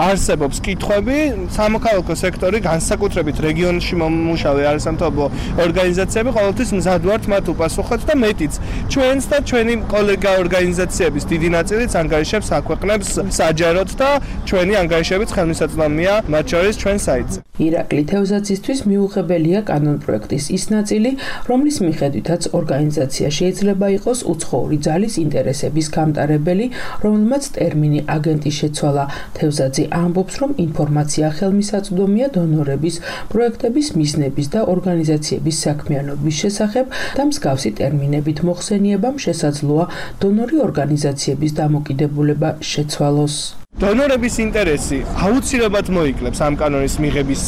არსებობს კითხვები, სამოქალაქო სექტორი განსაკუთრებით რეგიონში მომუშავე არასამთავრობო ორგანიზაციები ყოველთვის მზად ვართ მათ უპასუხოთ და მეტიც ჩვენს და ჩვენი კოლეგა ორგანიზაციების დიდი ნაწილიც ანგარიშებს აქვეყნებს საჯაროდ და ჩვენი ანგარიშებიც ხელმისაწვდომია მათ შორის ჩვენ საიტზე. ირაკლი თევზაძისთვის მიუღებელია კანონპროექტის ის ნაწილი, რომლის მიხედვითაც ორგანიზაცია შეიძლება იყოს უცხოური ძალის ინტერესების გამტარებელი, რომელმაც ტერმინი აგენტი შეცვალა. თევზაძე ამბობს, რომ ინფორმაცია ხელმისაწვდომია დონორების, პროექტების მიზნების და ორგანიზაციების საქმიანობის შესახებ და მსგავსი ტერმინებით მოხსენიებამ შესაძლოა დონორი ორგანიზაციების დამოკიდებულება შეცვალოს. დონორების ინტერესი აუცილებლად მოიკლებს ამ კანონის მიღების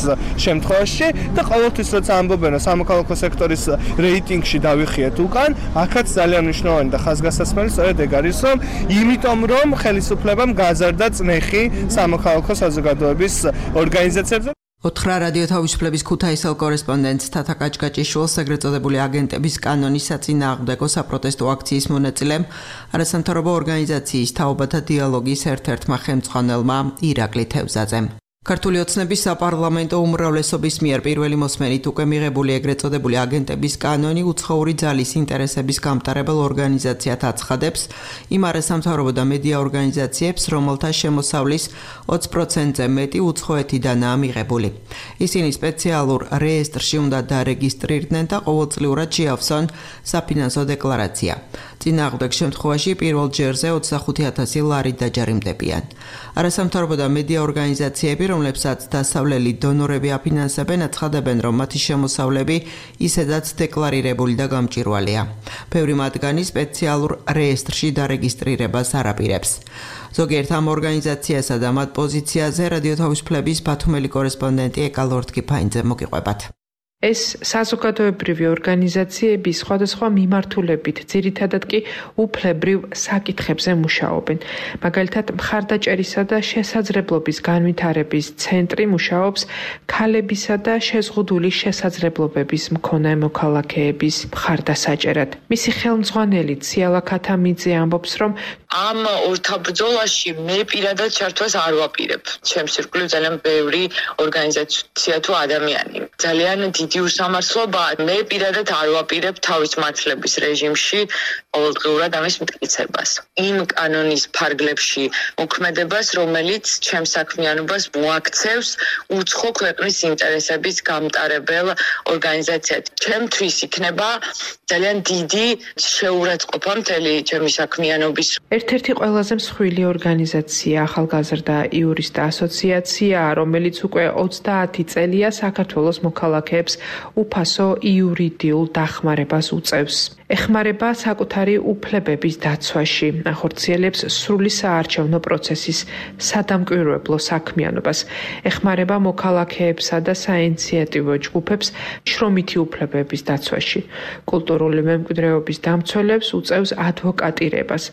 შემთხვევაში და ყოველთვის როცა ამბობენ რომ სამოქალაქო სექტორის რეიტინგში დავიხიეთ უკან, აქაც ძალიან მნიშვნელოვანი და ხაზგასასმელი სწორედ ეგ არის, რომ იმიტომ რომ ხელისუფლებამ გაზარდა წნეხი სამოქალაქო საზოგადოების ორგანიზაციებზე. ოთხრა რადიო თავისუფლების ქუთაისელ კორესპონდენტს თათა კაჭკაჭიშვილს ეგრეთ წოდებული აგენტების კანონის საწინააღმდეგო საპროტესტო აქციის მონაწილემ არასამთავრობო ორგანიზაციის თაობათა დიალოგის ერთ-ერთმა ხელმძღვანელმა ირაკლი თევზაძემ. ქართული ოცნების საპარლამენტო უმრავლესობის მიერ პირველი მოსმენით უკვე მიღებული ეგრეთ წოდებული აგენტების კანონი უცხოური ძალის ინტერესების გამტარებელ ორგანიზაციად აცხადებს იმ არასამთავრობო და მედია ორგანიზაციებს, რომელთა შემოსავლის ოცი პროცენტზე მეტი უცხოეთიდანაა მიღებული. ისინი სპეციალურ რეესტრში უნდა დარეგისტრირდნენ და ყოველწლიურად შეავსონ საფინანსო დეკლარაცია. წინააღმდეგ შემთხვევაში პირველ ჯერზე ოცდახუთი ათასი ლარი დაჯარიმდებიან. არასამთავრობო და მედია ორგანიზაციები, რომლებსაც დასავლელი დონორები აფინანსებენ, აცხადებენ, რომ მათი შემოსავლები ისედაც დეკლარირებული და გამჭვირვალეა. ბევრი მათგანი სპეციალურ რეესტრში დარეგისტრირებას არ აპირებს. ზოგიერთ ამ ორგანიზაციასა და მათ პოზიციაზე რადიო თავისუფლების ბათუმელი კორესპონდენტი ეკალორთკიფაინძე მოგიყვებათ. ეს საზოგადოებრივი ორგანიზაციები სხვადასხვა მიმართულებით, ძირითადად კი უფლებრივ საკითხებზე მუშაობენ. მაგალითად, მხარდაჭერისა და შესაძლებლობის განვითარების ცენტრი მუშაობს ქალებისა და შეზღუდული შესაძლებლობების მქონე მოქალაქეების მხარდასაჭერად. მისი ხელმძღვანელი ციალა ქათამიძე ამბობს, რომ ამ ორთაბრძოლაში მე პირადად ჩართვას არ ვაპირებ. ჩემს ირგვლივ ძალიან ბევრი ორგანიზაცია თუ ადამიანი. ძალიან დიდი დიდი უსამართლობა. მე პირადად არ ვაპირებ თავის მართლების რეჟიმში ყოველდღიურად ამის მტკიცებას. იმ კანონის ფარგლებში მოქმედებას, რომელიც ჩემს საქმიანობას მოაქცევს უცხო ქვეყნის ინტერესების გამტარებელ ორგანიზაციად. ჩემთვის იქნება ძალიან დიდი შეურაცხყოფა მთელი ჩემი საქმიანობის. ერთ-ერთი ყველაზე მსხვილი ორგანიზაცია ახალგაზრდა იურისტთა ასოციაცია, რომელიც უკვე ოცდაათი წელია საქართველოს მოქალაქეებს უფასო იურიდიულ დახმარებას უწევს. ეხმარება საკუთარი უფლებების დაცვაში, ახორციელებს სრული საარჩევნო პროცესის სადამკვირვებლო საქმიანობას, ეხმარება მოქალაქეებსა და საინიციატივო ჯგუფებს შრომითი უფლებების დაცვაში, კულტურული მემკვიდრეობის დამცველებს უწევს ადვოკატირებას,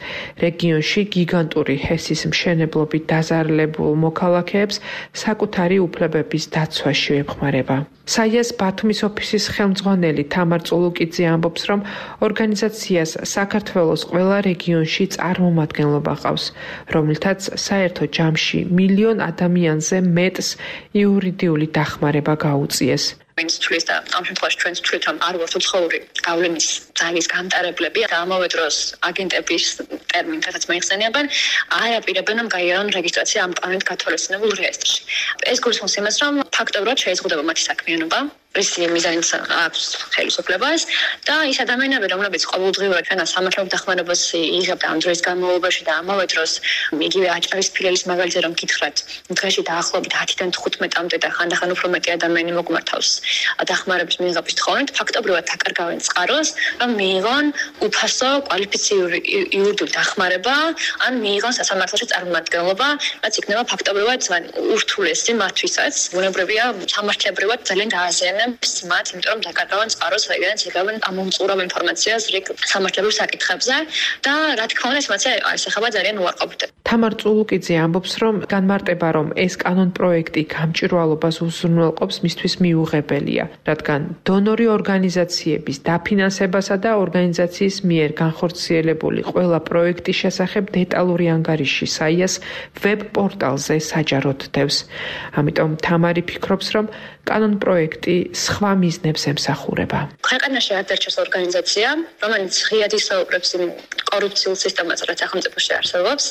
რეგიონში გიგანტური ჰესის მშენებლობით დაზარალებულ მოქალაქეებს საკუთარი უფლებების დაცვაში ეხმარება. საიას ბათუმის ოფისის ხელმძღვანელი თამარ წულუკიძე ამბობს, რომ ორგანიზაციას საქართველოს ყველა რეგიონში წარმომადგენლობა ყავს, რომელთაც საერთო ჯამში მილიონ ადამიანზე მეტს იურიდიული დახმარება გაუწიეს. ვინც თulis და ამ შემთხვევაში ჩვენც თulit რომ არ ვართ უცხოური გავლენის ძალის გამტარებლები და ამავე დროს აგენტების ტერმინს რაც მოიხსენიებენ, არ აპირებენ რომ გაიარონ რეგისტრაცია ამ კანონით გათვალისწინებულ რეესტრში. ეს გულისხმობს იმას, რომ ფაქტობრივად შეეზღუდება მათი საქმიანობა, რისი მიზანიც აქვს ხელისუფლებას და ის ადამიანები, რომლებიც ყოველდღიურად ჩვენას სამართლებრივ დახმარებას იღებდა ამ დროის განმავლობაში და ამავე დროს იგივე აჭარის ფილიალის მაგალითზე რომ გითხრათ, დღეში დაახლოებით ათიდან თხუთმეტამდე და ხანდახან უფრო მეტი ადამიანი მოგმართავს დახმარების მიღების თხოვნით, ფაქტობრივად აკარგავენ წყაროს, რომ მიიღონ უფასო კვალიფიციური იურიდიული დახმარება, ან მიიღონ სასამართლოში წარმომადგენლობა, რაც იქნება ფაქტობრივად ურთულესი მათთვისაც. ბუნებრივია, სამართლებრივად ძალიან დააზიანებს მათ, იმიტომ რომ დაკარგავენ წყაროს, რაიდანაც იღებენ ამომწყურავ ინფორმაციას რიგ სამართლებრივ საკითხებზე და რა თქმა უნდა, ეს მათი აისახება ძალიან უარყოფით. თამარ წულუკიძე ამბობს, რომ განმარტება, რომ ეს კანონ პროექტი გამჭვირვალობას უზრუნველყოფს, მისთვის მიუღებელია, რადგან დონორი ორგანიზაციების დაფინანსებასა და ორგანიზაციის მიერ განხორციელებული ყველა პროექტის შესახებ დეტალური ანგარიში საიას ვებ პორტალზე საჯაროდ დევს. ამიტომ თამარი ფიქრობს, რომ კანონ პროექტი სხვა მიზნებს ემსახურება. ქვეყანაში არ დარჩეს ორგანიზაცია, რომელიც ღიად ისაუბრებს იმ კორუფციულ სისტემაზე, რაც სახელმწიფოში არსებობს,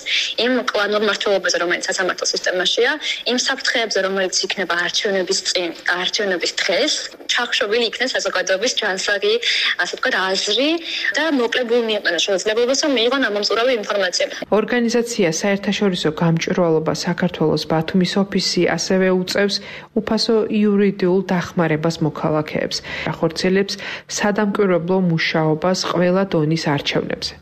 იმ კლანურ მმართველობაზე, რომელიც სასამართლო სისტემაშია, იმ საფრთხეებზე, რომელიც იქნება არჩევნების წინ, არჩევნების დღეს, ჩახშობილი იქნეს საზოგადოების ჯანსაღი, ასე ვთქვათ, აზრი და მოკლებულ მიეყენა შესაძლებლობას, რომ მიიღონ ამომწყურავი ინფორმაცია. ორგანიზაცია საერთაშორისო გამჭვირვალობა საქართველოს ბათუმის ოფისი ასევე უწევს უფასო იურიდიულ დახმარებას მოქალაქეებს, ახორციელებს სადამკვირვებლო მუშაობას ყველა დონის არჩევნებზე.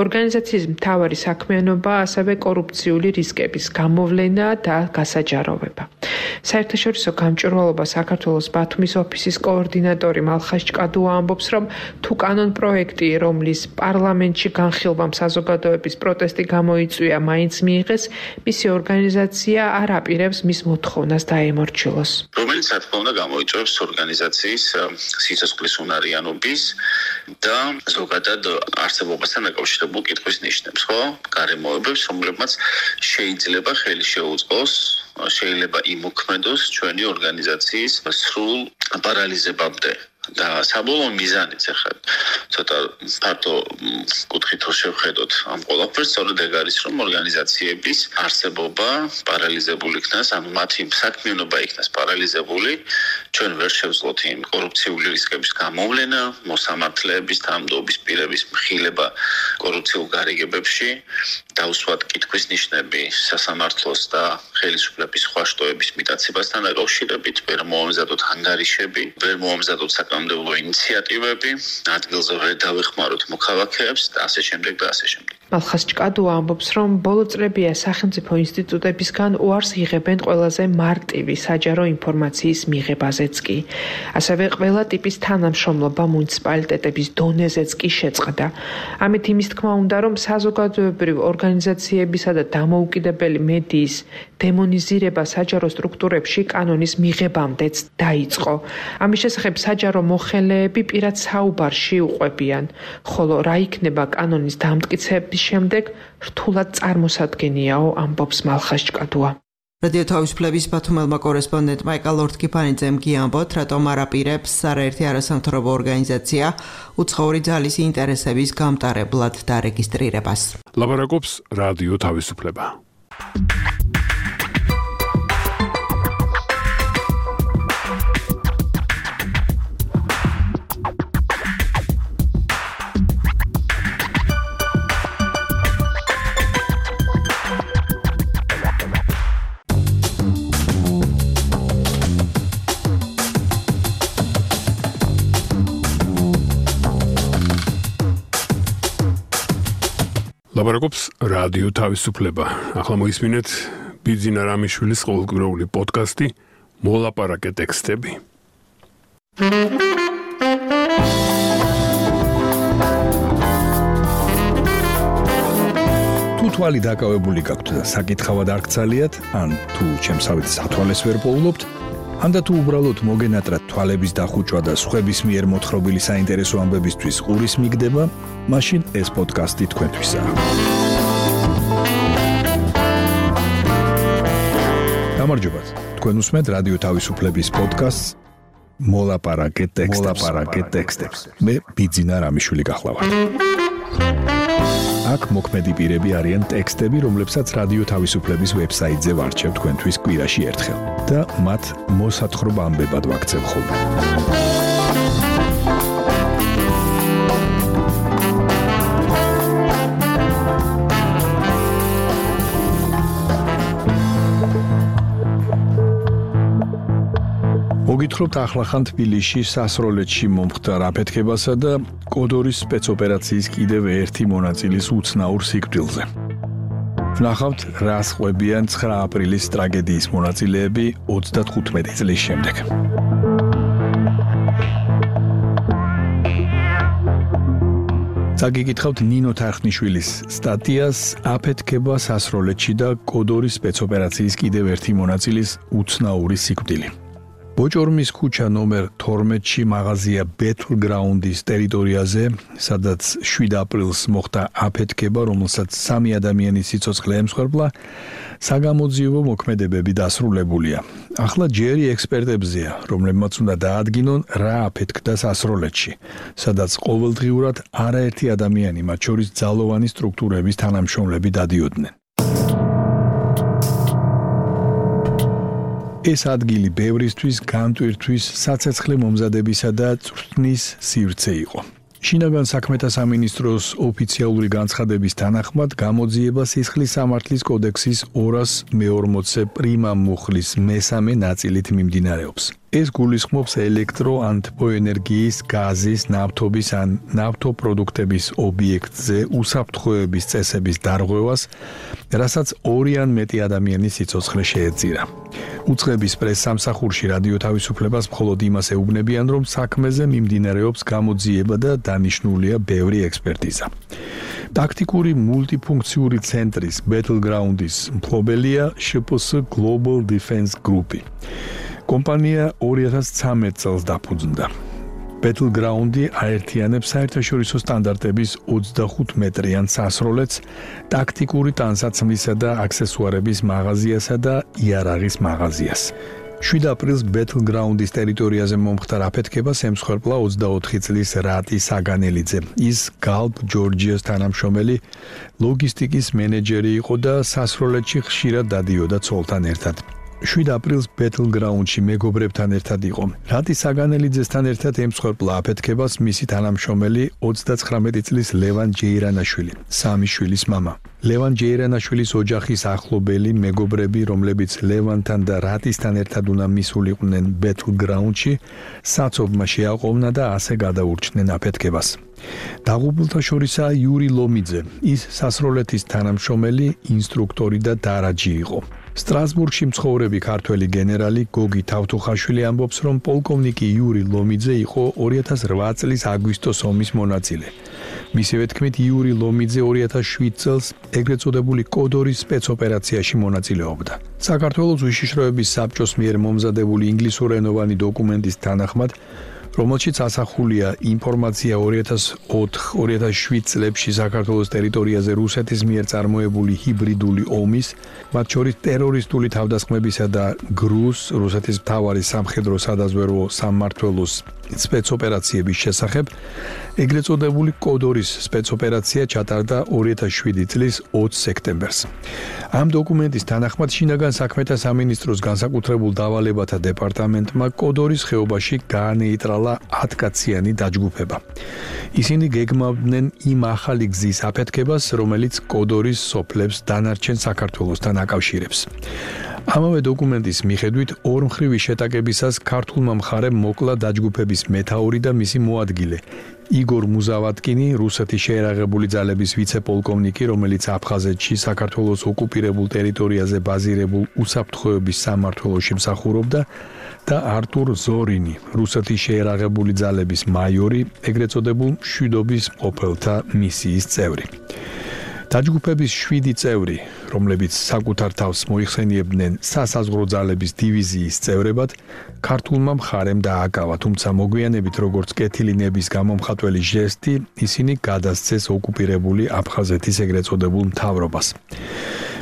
ორგანიზაციის მთავარი საქმიანობა ასევე კორუფციული რისკების გამოვლენა და გასაჯაროვება. საერთაშორისო გამჭვირვალობა საქართველოს ბათუმის ოფისის კოორდინატორი მალხაზ ჭკადუა ამბობს, რომ თუ კანონ პროექტი, რომლის პარლამენტში განხილვამ საზოგადოების პროტესტი გამოიწვია, მაინც მიიღეს, მისი ორგანიზაცია არ აპირებს მის მოთხოვნას დაემორჩილოს. რომელიც რა თქმა უნდა გამოიწვევს ორგანიზაციის სიცოცხლის უნარიანობის და ზოგადად არსებობასთან დაკავშირებულ კითხვის ნიშნებს, ხო? გარემოებებს, რომლებმაც შეიძლება ხელი შეუწყოს, შეიძლება იმოქმედოს ჩვენი ორგანიზაციის სრულ პარალიზებამდე. და საბოლოო მიზანიც ახლა ცოტა ფართო კუთხით რო შევხედოთ ამ ყველაფერს, სწორედ ეგ არის, რომ ორგანიზაციების არსებობა პარალიზებული იქნას, ანუ მათი საქმიანობა იქნას პარალიზებული, ჩვენ ვერ შევძლოთ იმ კორუფციული რისკების გამოვლენა, მოსამართლეების, თანამდებობის პირების მხილება კორუფციულ გარიგებებში, დაუსვათ კითხვის ნიშნები სასამართლოს და ხელისუფლების სხვა შტოების მიტაცებასთან დაკავშირებით, ვერ მოამზადოთ ანგარიშები, ვერ მოამზადოთ საკანონმდებლო ინიციატივები, ადგილზე ვერ დავეხმაროთ მოქალაქეებს და ასე შემდეგ და ასე შემდეგ. მალხაზ ჭკადუა ამბობს, რომ ბოლო წლებია სახელმწიფო ინსტიტუტებისგან უარს იღებენ ყველაზე მარტივი საჯარო ინფორმაციის მიღებაზეც კი. ასევე ყველა ტიპის თანამშრომლობა მუნიციპალიტეტების დონეზეც კი შეწყდა. ამით იმის თქმა უნდა, რომ საზოგადოებრივ ორგანიზაციებისა და დამოუკიდებელი მედიის დემონიზირება საჯარო სტრუქტურებში კანონის მიღებამდეც დაიწყო. ამის შესახებ საჯარო მოხელეები პირად საუბარში უყვებიან, ხოლო რა იქნება კანონის დამტკიცების შემდეგ რთულად წარმოსადგენიაო, ამბობს მალხაზ ჭკადუა. რადიო თავისუფლების ბათუმელმა კორესპონდენტმა ეკა ლორდ-კიფანიძემ გიამბოთ, რატომ არ აპირებს არაერთი არასამთავრობო ორგანიზაცია უცხოური ძალის ინტერესების გამტარებლად დარეგისტრირებას. ლაბარაკობს რადიო თავისუფლება. ლაბარაკობს რადიო თავისუფლება. ახლა მოისმინეთ ბიძინა რამიშვილის ყოველკვირეული პოდკასტი მოლაპარაკე ტექსტები. თუ თვალი დაკავებული გაქვთ და საკითხავად არ გცალიათ, ან თუ ჩემსავით სათვალეს ვერ პოულობთ, ანდა თუ უბრალოდ მოგენატრათ თვალების დახუჭვა და სხვების მიერ მოთხრობილი საინტერესო ამბებისთვის ყურის მიგდება, მაშინ ეს პოდკასტი თქვენთვისაა. გამარჯობათ. თქვენ უსმენთ რადიო თავისუფლების პოდკასტს მოლაპარაკე ტექსტებს. მე ბიძინა რამიშვილი გახლავართ. აქ მოქმედი პირები არიან ტექსტები, რომლებსაც რადიო თავისუფლების ვებსაიტზე ვარჩევ თქვენთვის კვირაში ერთხელ და მათ მოსათხრობ ამბებად ვაქცევ ხოლმე. მოგითხრობთ ახლახან თბილისში სასროლეთში მომხდარ აფეთქებასა და კოდორის სპეცოპერაციის კიდევ ერთი მონაწილის უცნაურ სიკვდილზე. ვნახავთ, რას ყვებიან ცხრა აპრილის ტრაგედიის მონაწილეები ოცდათხუთმეტი წლის შემდეგ. წაგიკითხავთ ნინო თარხნიშვილის სტატიას აფეთქება სასროლეთში და კოდორის სპეცოპერაციის კიდევ ერთი მონაწილის უცნაური სიკვდილი. ბოჭორმის ქუჩა ნომერ თორმეტში მაღაზია Battleground-ის ტერიტორიაზე, სადაც შვიდ აპრილს მოხდა აფეთქება, რომელსაც სამი ადამიანის სიცოცხლე ემსხვერპლა, საგამოძიებო მოქმედებები დასრულებულია. ახლა ჯერი ექსპერტებზეა, რომლებმაც უნდა დაადგინონ, რა აფეთქდა სასროლეთში, სადაც ყოველდღიურად არაერთი ადამიანი, მათ შორის ძალოვანი სტრუქტურების თანამშრომლები დადიოდნენ. ეს ადგილი ბევრისთვის განტვირთვის, საცეცხლე მომზადებისა და წვრთნის სივრცე იყო. შინაგან საქმეთა სამინისტროს ოფიციალური განცხადების თანახმად გამოძიება სისხლის სამართლის კოდექსის ორას მეორმოცე პრიმა მუხლის მესამე ნაწილით მიმდინარეობს. ეს გულისხმობს ელექტრო ან თბოენერგიის, გაზის, ნავთობის ან ნავთობპროდუქტების ობიექტზე უსაფრთხოების წესების დარღვევას, რასაც ორი ან მეტი ადამიანის სიცოცხლე შეეწირა. უწყების პრესსამსახურში რადიო თავისუფლებას მხოლოდ იმას ეუბნებიან, რომ საქმეზე მიმდინარეობს გამოძიება და დანიშნულია ბევრი ექსპერტიზა. ტაქტიკური მულტიფუნქციური ცენტრის Battleground-ის მფლობელია შ პ ს Global Defense Group. კომპანია ორი ათას ცხრამეტ წელს დაფუძნდა. Battleground-ი აერთიანებს საერთაშორისო სტანდარტების ოცდახუთ მეტრიან სასროლეთს, ტაქტიკური ტანსაცმლისა და აქსესუარების მაღაზიასა და იარაღის მაღაზიას. შვიდ აპრილს Battleground-ის ტერიტორიაზე მომხდარ აფეთქებას ემსხვერპლა ოცდაოთხი წლის რატი საგანელიძე. ის Gulf Georgia-ს თანამშრომელი ლოგისტიკის მენეჯერი იყო და სასროლეთში ხშირად დადიოდა ცოლთან ერთად. შვიდ აპრილს Battleground-ში მეგობრებთან ერთად იყო. რატი საგანელიძესთან ერთად ემსხვერპლა აფეთქებას მისი თანამშრომელი ოცდაცხრამეტი წლის ლევან ჯეირანაშვილი, სამი შვილის მამა. ლევან ჯეირანაშვილის ოჯახის ახლობელი მეგობრები, რომლებიც ლევანთან და რატისთან ერთად უნდა მისულიყვნენ Battleground-ში, საცობმა შეაყოვნა და ასე გადაურჩნენ აფეთქებას. დაღუპულთა შორისაა იური ლომიძე, ის სასროლეთის თანამშრომელი, ინსტრუქტორი და დარაჯი იყო. სტრასბურგში მცხოვრები ქართველი გენერალი გოგი თავთუხაშვილი ამბობს, რომ პოლკოვნიკი იური ლომიძე იყო ორი ათას რვა წლის აგვისტოს ომის მონაწილე. მისივე თქმით, იური ლომიძე ორი ათას შვიდ წელს ეგრეთ წოდებული კოდორის სპეცოპერაციაში მონაწილეობდა. საქართველოს უშიშროების საბჭოს მიერ მომზადებული ინგლისურენოვანი დოკუმენტის თანახმად, რომელშიც ასახულია ინფორმაცია ორი ათას ოთხ ორი ათას შვიდ წლებში საქართველოს ტერიტორიაზე რუსეთის მიერ წარმოებული ჰიბრიდული ომის, მათ შორის ტერორისტული თავდასხმებისა და გრუს, რუსეთის მთავარი სამხედრო სადაზვერვო სამმართველოს სპეცოპერაციების შესახებ, ეგრეთ წოდებული კოდორის სპეცოპერაცია ჩატარდა ორი ათას შვიდი წლის ოცი სექტემბერს. ამ დოკუმენტის თანახმად შინაგან საქმეთა სამინისტროს განსაკუთრებულ დავალებათა დეპარტამენტმა კოდორის ხეობაში გაანეიტრალა ათკაციანი დაჯგუფება. ისინი გეგმავდნენ იმ ახალი გზის აფეთქებას, რომელიც კოდორის სოფლებს დანარჩენ საქართველოსთან აკავშირებს. ამავე დოკუმენტის მიხედვით ორმხრივი შეტაკებისას ქართულმა მხარემ მოკლა დაჯგუფების მეთაური და მისი მოადგილე იგორ მუზავატკინი, რუსეთის შეერაღებული ძალების ვიცე-პოლკოვნიკი, რომელიც აფხაზეთში საქართველოს ოკუპირებულ ტერიტორიაზე ბაზირებულ უსაფრთხოების სამმართველოში მსახურობდა და არტურ ზორინი, რუსეთის შეერაღებული ძალების მაიორი, ეგრეთ წოდებულ მშვიდობის მყოფელთა მისიის წევრი. დაჯგუფების შვიდი წევრი, რომლებიც საკუთარ თავს მოიხსენიებდნენ სასაზღვრო ძალების დივიზიის წევრებად, ქართულმა მხარემ დააკავა, თუმცა მოგვიანებით როგორც კეთილი ნების გამომხატველი ჟესტი, ისინი გადასცეს ოკუპირებული აფხაზეთის ეგრეთ წოდებულ მთავრობას.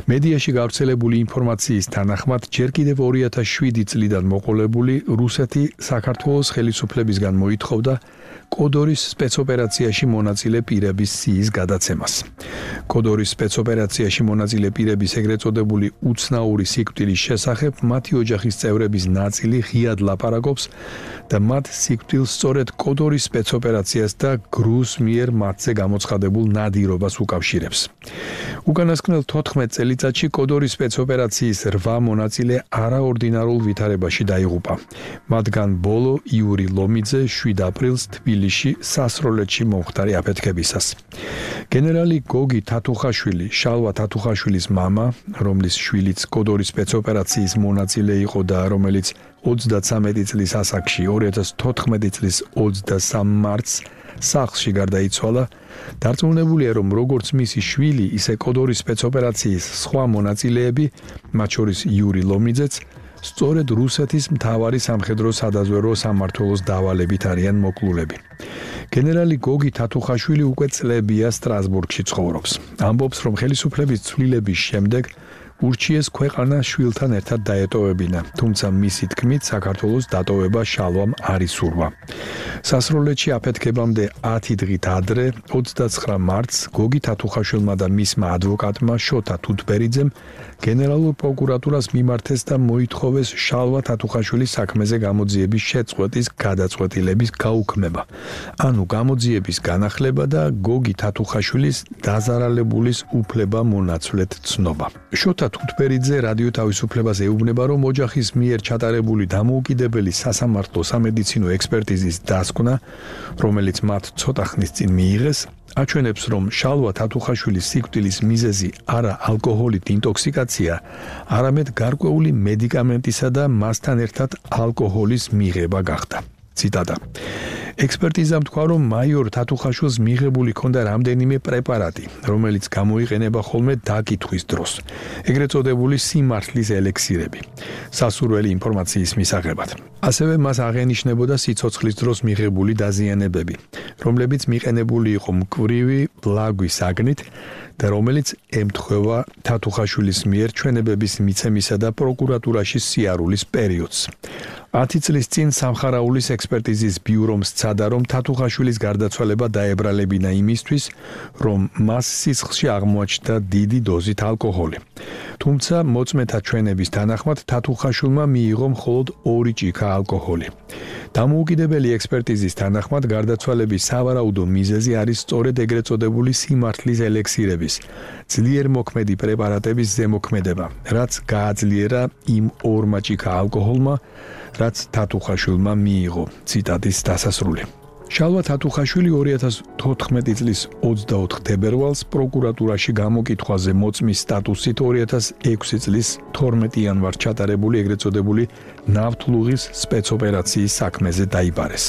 მედიაში გავრცელებული ინფორმაციის თანახმად, ჯერ კიდევ ორი ათას შვიდი წლიდან მოყოლებული რუსეთი საქართველოს ხელისუფლებისგან მოითხოვდა კოდორის სპეცოპერაციაში მონაწილე პირების სიის გადაცემას. კოდორის სპეცოპერაციაში მონაწილე პირების ეგრეთ წოდებული უცნაური სიკვდილის შესახებ მათი ოჯახის წევრების ნაწილი ღიად ლაპარაკობს და მათ სიკვდილს სწორედ კოდორის სპეცოპერაციას და გრუს მიერ მათზე გამოცხადებულ ნადირობას უკავშირებს. უკანასკნელ თოთხმეტ წელიწადში კოდორის სპეცოპერაციის რვა მონაწილე არაორდინარულ ვითარებაში დაიღუპა. მათგან ბოლო იური ლომიძე შვიდ აპრილს თბილისში სასროლეთში მომხდარი აფეთქებისას. გენერალი გოგი თათუხაშვილი, შალვა თათუხაშვილის მამა, რომლის შვილიც კოდორის სპეცოპერაციის მონაწილე იყო და რომელიც ოცდათვრამეტი წლის ასაკში ორი ათას თოთხმეტი წლის ოცდასამ მარტს სახლში გარდაიცვალა, დარწმუნებულია, რომ როგორც მისი შვილი, ისე კოდორის სპეცოპერაციის სხვა მონაწილეები, მათ შორის იური ლომიძეც, სწორედ რუსეთის მთავარი სამხედრო სადაზვერვო სამმართველოს დავალებით არიან მოკლულები. გენერალი გოგი თათუხაშვილი უკვე წლებია სტრასბურგში ცხოვრობს. ამბობს, რომ ხელისუფლების ცვლილების შემდეგ ურჩიეს ქვეყანა შვილთან ერთად დაეტოვებინა, თუმცა მისი თქმით საქართველოს დატოვება შალვამ არ ისურვა. სასროლეთში აფეთქებამდე ათი დღით ადრე, ოცდაცხრა მარტს, გოგი თათუხაშვილმა და მისმა ადვოკატმა შოთა თუთბერიძემ გენერალურ პროკურატურას მიმართეს და მოითხოვეს შალვა თათუხაშვილის საქმეზე გამოძიების შეწყვეტის გადაწყვეტილების გაუქმება, ანუ გამოძიების განახლება და გოგი თათუხაშვილის დაზარალებულის უფლება მონაცვლედ ცნობა. შოთა თუთბერიძე რადიო თავისუფლებას ეუბნება, რომ ოჯახის მიერ ჩატარებული დამოუკიდებელი სასამართლო სამედიცინო ექსპერტიზის დასკვნა, რომელიც მათ ცოტა ხნის წინ მიიღეს, აჩვენებს, რომ შალვა თათუხაშვილის სიკვდილის მიზეზი არა ალკოჰოლით ინტოქსიკაცია, არამედ გარკვეული მედიკამენტისა და მასთან ერთად ალკოჰოლის მიღება გახდა. ციტატა. ექსპერტიზამ თქვა, რომ მაიორ თათუხაშვილს მიღებული ჰქონდა რამდენიმე პრეპარატი, რომელიც გამოიყენება ხოლმე დაკითხვის დროს, ეგრეთ წოდებული სიმართლის ელექსირები, სასურველი ინფორმაციის მისაღებად. ასევე მას აღენიშნებოდა სიცოცხლის დროს მიღებული დაზიანებები, რომლებიც მიყენებული იყო მკვრივი ბლაგვის აგნით და რომელიც ემთხვევა თათუხაშვილის მიერ ჩვენებების მიცემისა და პროკურატურაში სიარულის პერიოდს. ათი წლის წინ სამხარაულის ექსპერტიზის ბიურომ სცადა, რომ თათუხაშვილის გარდაცვალება დაებრალებინა იმისთვის, რომ მას სისხლში აღმოაჩნდა დიდი დოზით ალკოჰოლი. თუმცა მოწმეთა ჩვენების თანახმად თათუხაშვილმა მიიღო მხოლოდ ორი ჭიქა ალკოჰოლი. დამოუკიდებელი ექსპერტიზის თანახმად გარდაცვალების სავარაუდო მიზეზი არის სწორედ ეგრეთ წოდებული სიმართლის ელექსირების, ძლიერ მოქმედი პრეპარატების ზემოქმედება, რაც გააძლიერა იმ ორმა ჭიქა ალკოჰოლმა, რაც თათუხაშვილმა მიიღო. ციტატის დასასრული. შალვა თათუხაშვილი ორი ათას თოთხმეტი წლის ოცდაოთხ თებერვალს პროკურატურაში გამოკითხვაზე მოწმის სტატუსით ორი ათას ექვსი წლის თორმეტი იანვარს ჩატარებული ეგრეთ წოდებული ნავთლუღის სპეცოპერაციის საქმეზე დაიბარეს.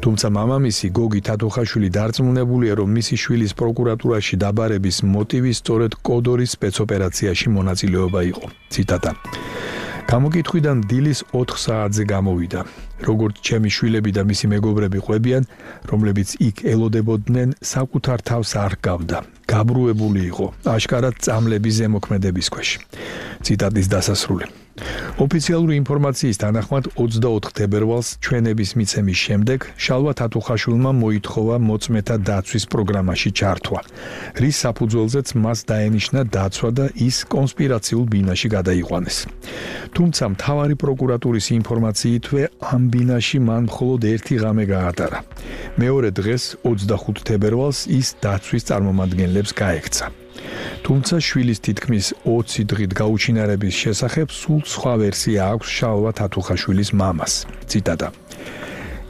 თუმცა მამამისი გოგი თათუხაშვილი დარწმუნებულია, რომ მისი შვილის პროკურატურაში დაბარების მოტივი სწორედ კოდორის სპეცოპერაციაში მონაწილეობა იყო. ციტატა. გამოკითხვიდან დილის ოთხ საათზე გამოვიდა. როგორც ჩემი შვილები და მისი მეგობრები ყვებიან, რომლებიც იქ ელოდებოდნენ, საკუთარ თავს არ ჰგავდა. გაბრუებული იყო, აშკარად წამლების ზემოქმედების ქვეშ. ციტატის დასასრული. ოფიციალური ინფორმაციის თანახმად ოცდაოთხ თებერვალს ჩვენების მიცემის შემდეგ შალვა თათუხაშვილმა მოითხოვა მოწმეთა დაცვის პროგრამაში ჩართვა, რის საფუძველზეც მას დაენიშნა დაცვა და ის კონსპირაციულ ბინაში გადაიყვანეს. თუმცა მთავარი პროკურატურის ინფორმაციითვე ამ ბინაში მან მხოლოდ ერთი ღამე გაატარა. მეორე დღეს ოცდახუთ თებერვალს ის დაცვის წარმომადგენლებს გაექცა. თუმცა შვილის თითქმის ოცი დღით გაუჩინარების შესახებ სულ სხვა ვერსია აქვს შალვა თათუხაშვილის მამას. ციტატა.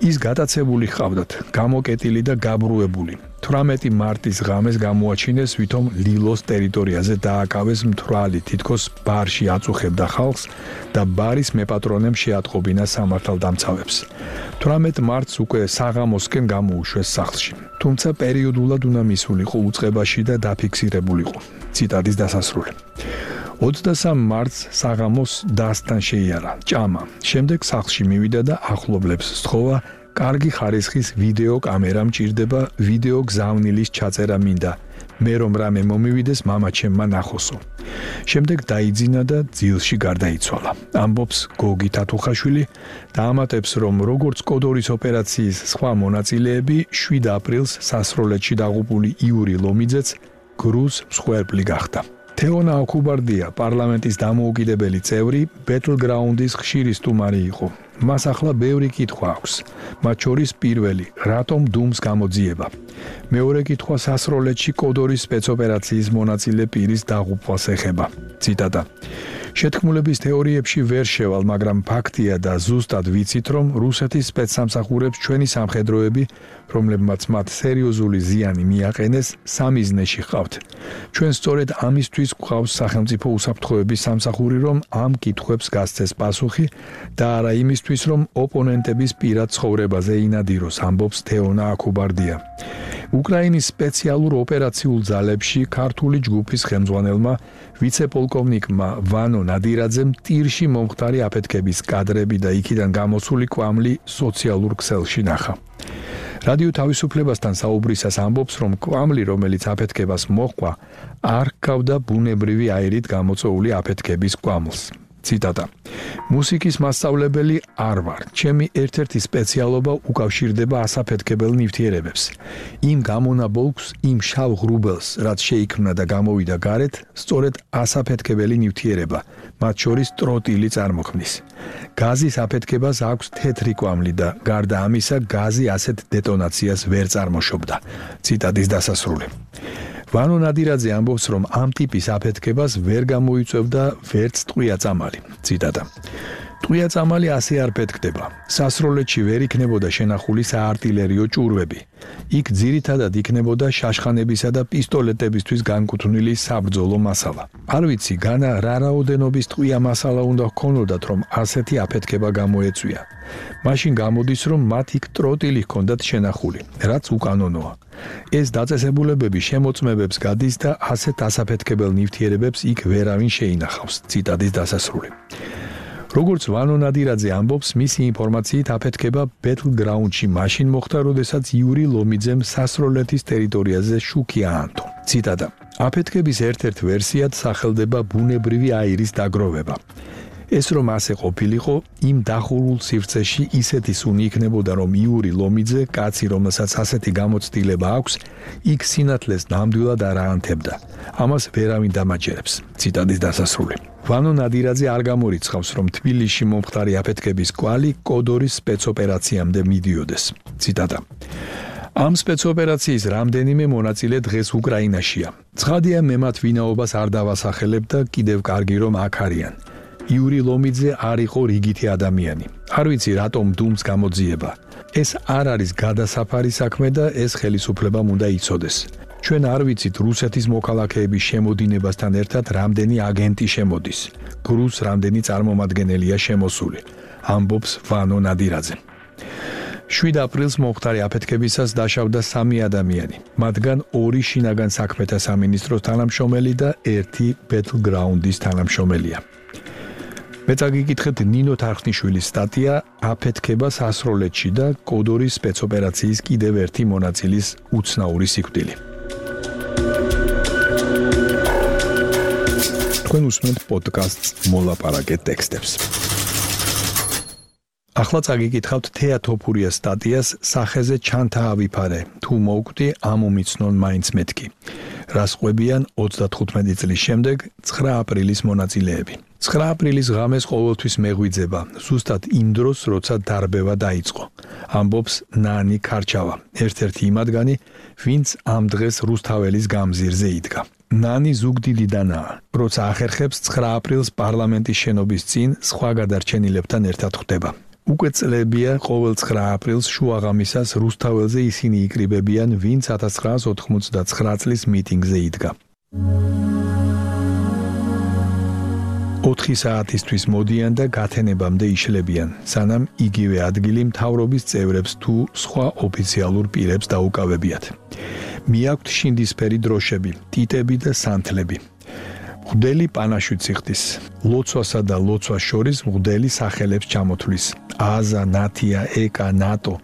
ის გატაცებული ჰყავდათ, გამოკეტილი და გაბრუებული. თვრამეტი მარტის ღამეს გამოაჩინეს, ვითომ ლილოს ტერიტორიაზე დააკავეს მთვრალი, თითქოს ბარში აწუხებდა ხალხს და ბარის მეპატრონემ შეატყობინა სამართალდამცავებს. თვრამეტ მარტს უკვე საღამოსკენ გამოუშვეს სახლში. თუმცა პერიოდულად უნდა მისულიყო უწყებაში და დაფიქსირებულიყო. ციტატის დასასრული. ოცდასამ მარტს საღამოს დასთან შეიარა, ჭამა. შემდეგ სახლში მივიდა და ახლობლებს სთხოვა, კარგი ხარისხის ვიდეო კამერა მჭირდება, ვიდეო გზავნილის ჩაწერა მინდა. მე რომ რამე მომივიდეს, მამაჩემმა ნახოსო. შემდეგ დაიძინა და ძილში გარდაიცვალა. ამბობს გოგი თათუხაშვილი და ამატებს, რომ როგორც კოდორის ოპერაციის სხვა მონაწილეები, შვიდ აპრილს სასროლეთში დაღუპული იური ლომიძეც გრუზ მსხვერპლი გახდა. თეონა აკუბარდია პარლამენტის დამოუკიდებელი წევრი, ბეტლგრაუნდის ხშირი სტუმარი იყო. მას ახლა ბევრი კითხვა აქვს. მათ შორის პირველი, რატომ დუმს გამოძიება? მეორე კითხვა სასროლეთში კოდორის სპეცოპერაციის მონაწილე პირის დაღუპვას ეხება. ციტატა. შეთქმულების თეორიებში ვერ შევალ, მაგრამ ფაქტია და ზუსტად ვიცით, რომ რუსეთის სპეცსამსახურებს ჩვენი სამხედროები, რომლებმაც მათ სერიოზული ზიანი მიაყენეს, სამიზნეში ჰყავთ. ჩვენ სწორედ ამისთვის გვყავს სახელმწიფო უსაფრთხოების სამსახური, რომ ამ კითხვებს გასცეს პასუხი და არა იმისთვის, რომ ოპონენტების პირად ცხოვრებაზე ინადიროს, ამბობს თეონა აკუბარდია. უკრაინის სპეციალურ ოპერაციულ ძალებში ქართული ჯგუფის ხელმძღვანელმა ვიცე-პოლკოვნიკმა ვანო ნადირაძემ ტირში მომხდარი აფეთქების კადრები და იქიდან გამოსული კვამლი სოციალურ ქსელში ნახა. რადიო თავისუფლებასთან საუბრისას ამბობს, რომ კვამლი, რომელიც აფეთქებას მოჰყვა, არ ჰგავდა ბუნებრივი აირით გამოწვეული აფეთქების კვამლს. ციტატა. მუსიკის მასწავლებელი არ ვარ. ჩემი ერთ-ერთი სპეციალობა უკავშირდება ასაფეთქებელ ნივთიერებებს. იმ გამონაბოლქვს, იმ შავ ღრუბელს, რაც შეიქმნა და გამოვიდა გარეთ, სწორედ ასაფეთქებელი ნივთიერება, მათ შორის ტროტილი წარმოქმნის. გაზის აფეთქებას აქვს თეთრი კვამლი და გარდა ამისა, გაზი ასეთ დეტონაციას ვერ წარმოშობდა. ციტატის დასასრული. ვანო ნადირაძე ამბობს, რომ ამ ტიპის აფეთქებას ვერ გამოიწვევდა ვერც ტყვია-წამალი. ციტატა. ტყვია-წამალი ასე არ ფეთქდება. სასროლეთში ვერ იქნებოდა შენახული საარტილერიო ჭურვები. იქ ძირითადად იქნებოდა შაშხანებისა და პისტოლეტებისთვის განკუთვნილი საბრძოლო მასალა. არ ვიცი, განა რა რაოდენობის ტყვია მასალა უნდა ჰქონოდათ, რომ ასეთი აფეთქება გამოეწვია. მაშინ გამოდის, რომ მათ იქ ტროტილი ჰქონდათ შენახული, რაც უკანონოა. ეს დაწესებულებები შემოწმებებს გადის და ასეთ ასაფეთქებელ ნივთიერებებს იქ ვერავინ შეინახავს. ციტატის დასასრული. როგორც ვანო ნადირაძე ამბობს, მისი ინფორმაციით აფეთქება ბეტლგრაუნდში მაშინ მოხდა, როდესაც იური ლომიძემ სასროლეთის ტერიტორიაზე შუქი აანთო. ციტატა. აფეთქების ერთ-ერთ ვერსიად სახელდება ბუნებრივი აირის დაგროვება. ეს რომ ასე ყოფილიყო, იმ დახურულ სივრცეში ისეთი სუნი იქნებოდა, რომ იური ლომიძე, კაცი, რომელსაც ასეთი გამოცდილება აქვს, იქ სინათლეს ნამდვილად არ აანთებდა. ამას ვერავინ დამაჯერებს. ციტატის დასასრული. ვანო ნადირაძე არ გამორიცხავს, რომ თბილისში მომხდარი აფეთქების კვალი კოდორის სპეცოპერაციამდე მიდიოდეს. ციტატა. ამ სპეცოპერაციის რამდენიმე მონაწილე დღეს უკრაინაშია. ცხადია, მე მათ ვინაობას არ დავასახელებ და კიდევ კარგი რომ აქ არიან. იური ლომიძე არ იყო რიგითი ადამიანი. არ ვიცი, რატომ დუმს გამოძიება. ეს არ არის გადასაფარი საქმე და ეს ხელისუფლებამ უნდა იცოდეს. ჩვენ არ ვიცით რუსეთის მოქალაქეების შემოდინებასთან ერთად რამდენი აგენტი შემოდის. გრუს რამდენი წარმომადგენელია შემოსული. ამბობს ვანო ნადირაძე. შვიდ აპრილს მომხდარი აფეთქებისას დაშავდა სამი ადამიანი. მათგან ორი შინაგან საქმეთა სამინისტროს თანამშრომელი და ერთი ბეტლგრაუნდის თანამშრომელია. მე წაგიკითხეთ ნინო თარხნიშვილის სტატია აფეთქება სასროლეთში და კოდორის სპეცოპერაციის კიდევ ერთი მონაწილის უცნაური სიკვდილი. თქვენ უსმენთ პოდკასტს მოლაპარაკე ტექსტებს. ახლა წაგიკითხავთ თეატოფურიას სტატიას სახეზე ჩანთა ავიფარე თუ მოვკვდი ამომიცნონ მაინც მეთქი. რას ყვებიან ოცდათხუთმეტი წლის შემდეგ ცხრა აპრილის მონაწილეები. ცხრა აპრილის ღამეს ყოველთვის მეღვიძება, ზუსტად იმ დროს, როცა დარბევა დაიწყო. ამბობს ნანი ქარჩავა, ერთ-ერთი იმადგანი, ვინც ამ დღეს რუსთაველის გამზირზე იდგა. ნანი ზუგდიდიდანაა, როცა ახერხებს ცხრა აპრილს პარლამენტის შენობის წინ სხვა გადარჩენილებთან ერთად ხვდება. უკვე წლებია ყოველ ცხრა აპრილს შუაღამისას რუსთაველზე ისინი იკრიბებიან, ვინც ათას ცხრაას ოთხმოცდაცხრა წლის მიტინგზე იდგა. ოთხი საათისთვის მოდიან და გათენებამდე იშლებიან, სანამ იგივე ადგილი მთავრობის წევრებს თუ სხვა ოფიციალურ პირებს დაუკავებიათ. მიაქვთ შინდისფერი დროშები, ტიტები და სანთლები. მღვდელი პანაშვიდს იხდის, ლოცვასა და ლოცვას შორის მღვდელი სახელებს ჩამოთვლის. აზა, ნათია, ეკა, ნატო.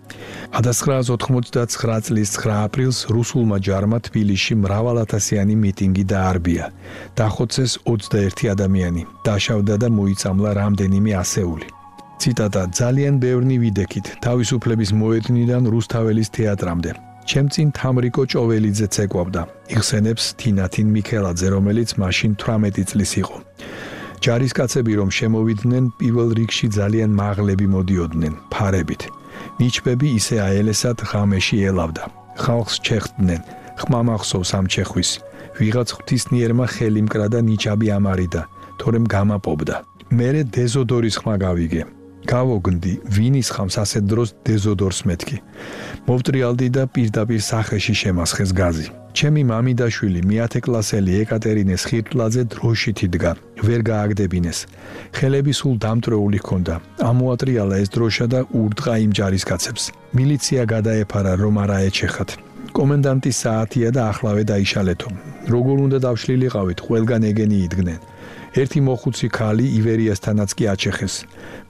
ათას ცხრაას ოთხმოცდაცხრა წლის ცხრა აპრილს რუსულმა ჯარმა თბილისში მრავალათასიანი მიტინგი დაარბია. დახოცეს ოცდაერთი ადამიანი, დაშავდა და მოიწამლა რამდენიმე ასეული. ციტატა: ძალიან ბევრნი ვიდექით, თავისუფლების მოედნიდან რუსთაველის თეატრამდე. ჩემ წინ თამრიკო ჭოველიძეც ეკვავდა. იხსენებს თინათინ მიქელაძე, რომელიც მაშინ თვრამეტი წლის იყო. ჯარისკაცები რომ შემოვიდნენ, პირველ რიგში ძალიან მაღლები მოდიოდნენ, ფარებით. ნიჩბები ისე აელესად ღამეში ელავდა. ხალხს ჩეხდნენ, ხმამახსოვს ამ ჩეხვის. ვიღაც ღვთისნიერმა ხელი მკრა და ნიჩაბი ამარიდა, თორემ გამაპობდა. მერე დეზოდორის ხმა გავიგე. გავოგნდი, ვინის ხამს ასეთ დროს დეზოდორს მეთქი. მოვტრიალდი და პირდაპირ სახეში შემასხეს გაზი. ჩემი მამიდაშვილი მეათე კლასელი ეკატერინეს ხირტლაძე დროშით იდგა, ვერ გააგდებინეს. ხელები სულ დამტრეული ჰქონდა. ამოატრიალა ეს დროშა და ურტყა იმ ჯარისკაცებს. მილიცია გადაეფარა, რომ არა ეჩეხათ. კომენდანტის საათია და ახლავე დაიშალეთო. როგორ უნდა დავშლილიყავით, ყველგან ეგენი იდგნენ. ერთი მოხუცი ქალი ივერიასთანაც კი აჩეხეს.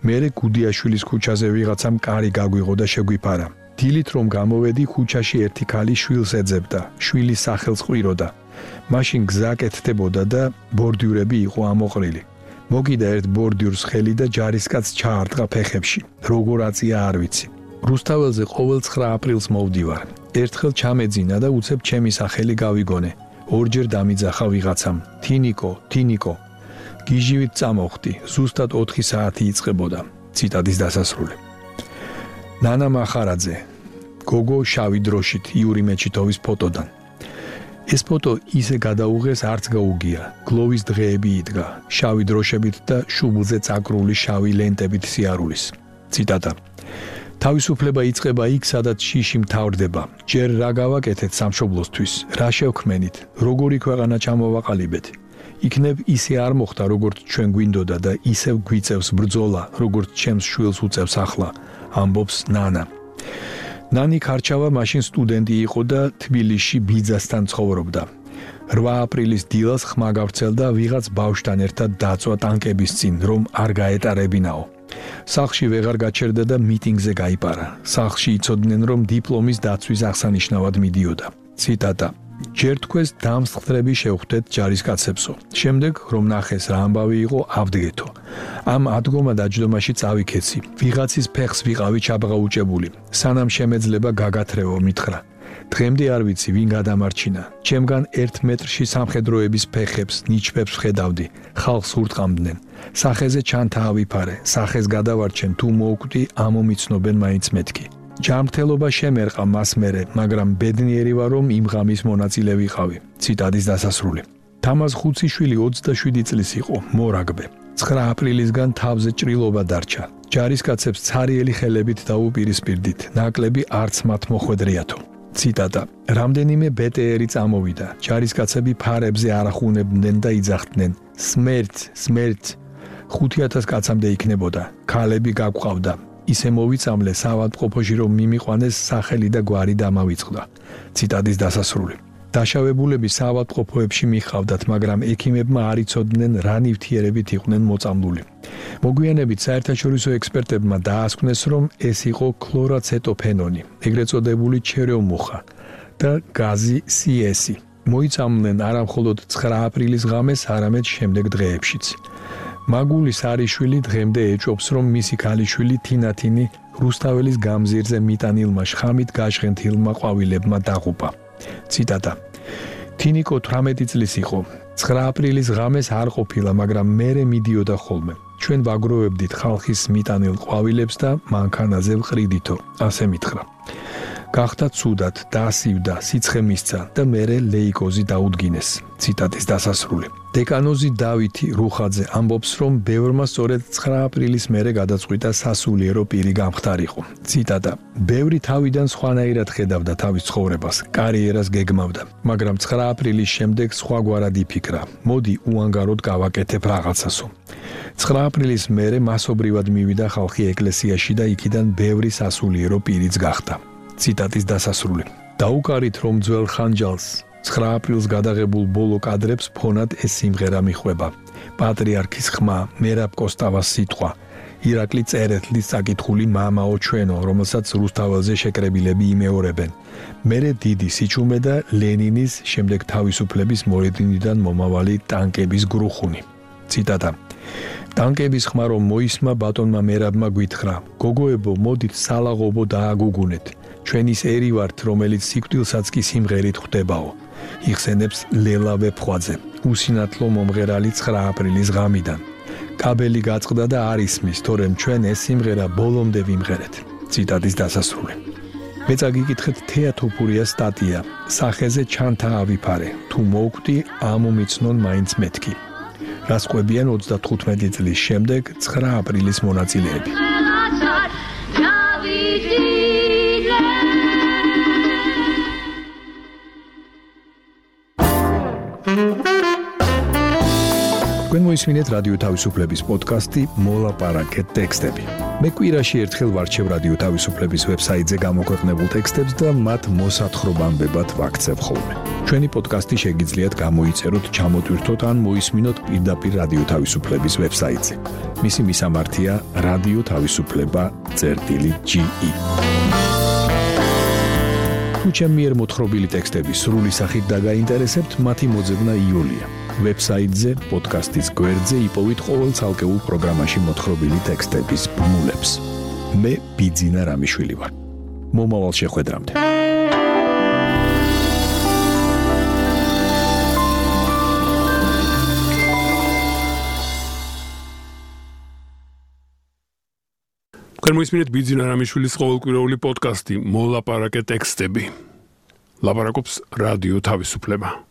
მერე გუდიაშვილის ქუჩაზე ვიღაცამ კარი გაგვიღო და შეგვიფარა. დილით რომ გამოვედი, ქუჩაში ერთი ქალი შვილს ეძებდა, შვილის სახელს ყვიროდა. მაშინ გზა კეთდებოდა და ბორდიურები იყო ამოყრილი. მოგიდა ერთ ბორდიურს ხელი და ჯარისკაცს ჩაარტყა ფეხებში. როგორ აწია არ ვიცი. რუსთაველზე ყოველ ცხრა აპრილს მოვდივარ. ერთხელ ჩამეძინა და უცებ ჩემი სახელი გავიგონე. ორჯერ დამიძახა ვიღაცამ. თინიკო, თინიკო. გიჟივით წამოვხდი, ზუსტად ოთხი საათი იწყებოდა. ციტატის დასასრული. ნანა მახარაძე, გოგო შავი დროშით იური მეჩითოვის ფოტოდან. ეს ფოტო ისე გადაუღეს, არც გაუგია. გლოვის დღეები იდგა, შავი დროშებით და შუბლზე წაკრული შავი ლენტებით სიარულის. ციტატა: თავისუფლება იწყება იქ, სადაც შიში მთავრდება. ჯერ რა გავაკეთეთ სამშობლოსთვის, რა შევქმენით, როგორი ქვეყანა ჩამოვაყალიბეთ. იქნებ ისე არ მოხდა, როგორც ჩვენ გვინდოდა და ისევ გვიწევს ბრძოლა, როგორც ჩემს შვილს უწევს ახლა, ამბობს ნანა. ნანი ქარჩავა მაშინ სტუდენტი იყო და თბილისში ბიძასთან ცხოვრობდა. რვა აპრილის დილას ხმა გავრცელდა, ვიღაც ბავშვთან ერთად დაწვა ტანკების წინ, რომ არ გაეტარებინაო. სახლში ვეღარ გაჩერდა და მიტინგზე გაიპარა. სახლში იცოდნენ, რომ დიპლომის დაცვის აღსანიშნავად მიდიოდა. ციტატა: ჯერ თქვენს დამსხვრები შევხვდეთ ჯარისკაცებსო. შემდეგ რომ ნახეს რა ამბავი იყო, ავდგეთო. ამ ადგომა დაჯდომაში წავიქეცი. ვიღაცის ფეხს ვიყავი ჩაბღაუჭებული. სანამ შემეძლება გაგათრევო, მითხრა. დღემდე არ ვიცი ვინ გადამარჩინა. ჩემგან ერთ მეტრში სამხედროების ფეხებს, ნიჩბებს ვხედავდი. ხალხს ურტყამდნენ. სახეზე ჩანთა ავიფარე. სახეს გადავარჩენ თუ მოვკვდი, ამომიცნობენ მაინც მეთქი. ჯანმრთელობა შემერყა მას მერე, მაგრამ ბედნიერი ვარ, რომ იმ ღამის მონაწილე ვიყავი. ციტატის დასასრული. თამაზ ხუციშვილი ოცდაშვიდი წლის იყო, მორაგბე. ცხრა აპრილისგან თავზე ჭრილობა დარჩა. ჯარისკაცებს ცარიელი ხელებით დაუპირისპირდით, ნაკლები არც მათ მოხვედრიათო. ციტატა: რამდენიმე ბეტეერი წამოვიდა. ჯარისკაცები ფარებზე არახუნებდნენ და იძახდნენ: სმერტ, სმერტ. ხუთი ათას კაცამდე იქნებოდა. ქალები გაგვყავდა. ისე მოვიწამლე საავადმყოფოში, რომ მიმიყვანეს სახელი და გვარი დამავიწყდა. ციტატის დასასრული. დაშავებულები საავადმყოფოებში მიხავდათ, მაგრამ ექიმებმა არ იცოდნენ რა ნივთიერებით იყვნენ მოწამლული. მოგვიანებით საერთაშორისო ექსპერტებმა დაასკვნეს, რომ ეს იყო ქლორაცეტოფენონი, ეგრეთ წოდებული ჩერეომუხა და გაზი სი ესი. მოიწამნენ არა მხოლოდ ცხრა აპრილის ღამეს, არამედ შემდეგ დღეებშიც. მაგულის არიშვილი დღემდე ეჭობს, რომ მისი ქალიშვილი თინათინი რუსთაველის გამზირზე მიტანილმა შხამით გაჟღენთილმა ყვავილებმა დაღუპა. ციტატა: თინიკო თვრამეტი წლის იყო. ცხრა აპრილის ღამეს არ ყოფილა, მაგრამ მერე მიდიოდა ხოლმე. ჩვენ ვაგროვებდით ხალხის მიტანილ ყვავილებს და მანქანაზე ვყრიდითო, ასე მითხრა. გახდა ცუდად, დაასივდა, სიცხე მისცა და მერე ლეიკოზი დაუდგინეს. ციტატის დასასრული. დეკანოზი დავითი რუხაძე ამბობს, რომ ბევრმა სწორედ ცხრა აპრილის მერე გადაწყვიტა სასულიერო პირი გამხდარიყო. ციტატა: ბევრი თავიდან სხვანაირად ხედავდა თავის ცხოვრებას, კარიერას გეგმავდა, მაგრამ ცხრა აპრილის შემდეგ სხვაგვარად იფიქრა. მოდი უანგაროდ გავაკეთებ რაღაცასო. ცხრა აპრილის მერე მასობრივად მივიდა ხალხი ეკლესიაში და იქიდან ბევრი სასულიერო პირიც გახდა. ციტატის დასასრული. დაუკარით, რომ ძველ ხანჯალს ცხრა აპრილს გადაღებულ ბოლო კადრებს ფონად ეს სიმღერა მიხვება. პატრიარქის ხმა, მერაბ კოსტავას სიტყვა, ირაკლი წერეთლის წაკითხული მამაო ჩვენო, რომელსაც რუსთაველზე შეკრებილები იმეორებენ. მერე დიდი სიჩუმე და ლენინის, შემდეგ თავისუფლების მოედნიდან მომავალი ტანკების გრუხუნი. ციტატა: ტანკების ხმა რომ მოისმა ბატონმა მერაბმა გვითხრა: გოგოებო, მოდით სალაღობო დააგუგუნეთ. ჩვენ ის ერი ვართ, რომელიც სიკვდილსაც კი სიმღერით ხვდებაო. იხსენებს ლელავე ფხვაძე, უსინათლო მომღერალი ცხრა აპრილის ღამიდან. კაბელი გაწყდა და არ ისმის, თორემ ჩვენ ეს სიმღერა ბოლომდე ვიმღერეთ. ციტატის დასასრული. მე წაგიკითხეთ თეატოფურიას სტატია, სახეზე ჩანთა ავიფარე, თუ მოვკვდი, ამომიცნონ მაინც მეთქი. რას ყვებიან ოცდათხუთმეტი წლის შემდეგ ცხრა აპრილის მონაწილეები. თქვენ მოისმინეთ რადიო თავისუფლების პოდკასტი მოლაპარაკეთ ტექსტები. მე კვირაში ერთხელ ვარჩევ რადიო თავისუფლების ვებსაიტზე გამოქვეყნებულ ტექსტებს და მათ მოსათხრობამდებად ვაქცევ ხოლმე. ჩვენი პოდკასტი შეგიძლიათ გამოიწეროთ, ჩამოტვირთოთ ან მოისმინოთ პირდაპირ რადიო თავისუფლების ვებსაიტზე. მისი მისამართია რადიო თავისუფლება წერტილი ჯი ი. თუ ჩემი მიერ მოთხრობილი ტექსტები სრული სახით დაგაინტერესებთ, მათი მოძებნა იოლია. ვებსაიტზე, პოდკასტის გვერდზე იპოვით ყოველ ცალკეულ პროგრამაში მოთხრობილი ტექსტების ბმულებს. მე ბიძინა რამიშვილი ვარ. მომავალ შეხვედრამდე. თქვენ მოისმინეთ ბიძინა რამიშვილის ყოველკვირეული პოდკასტი მოლაპარაკეთ ტექსტები. ლაპარაკობს რადიო თავისუფლება.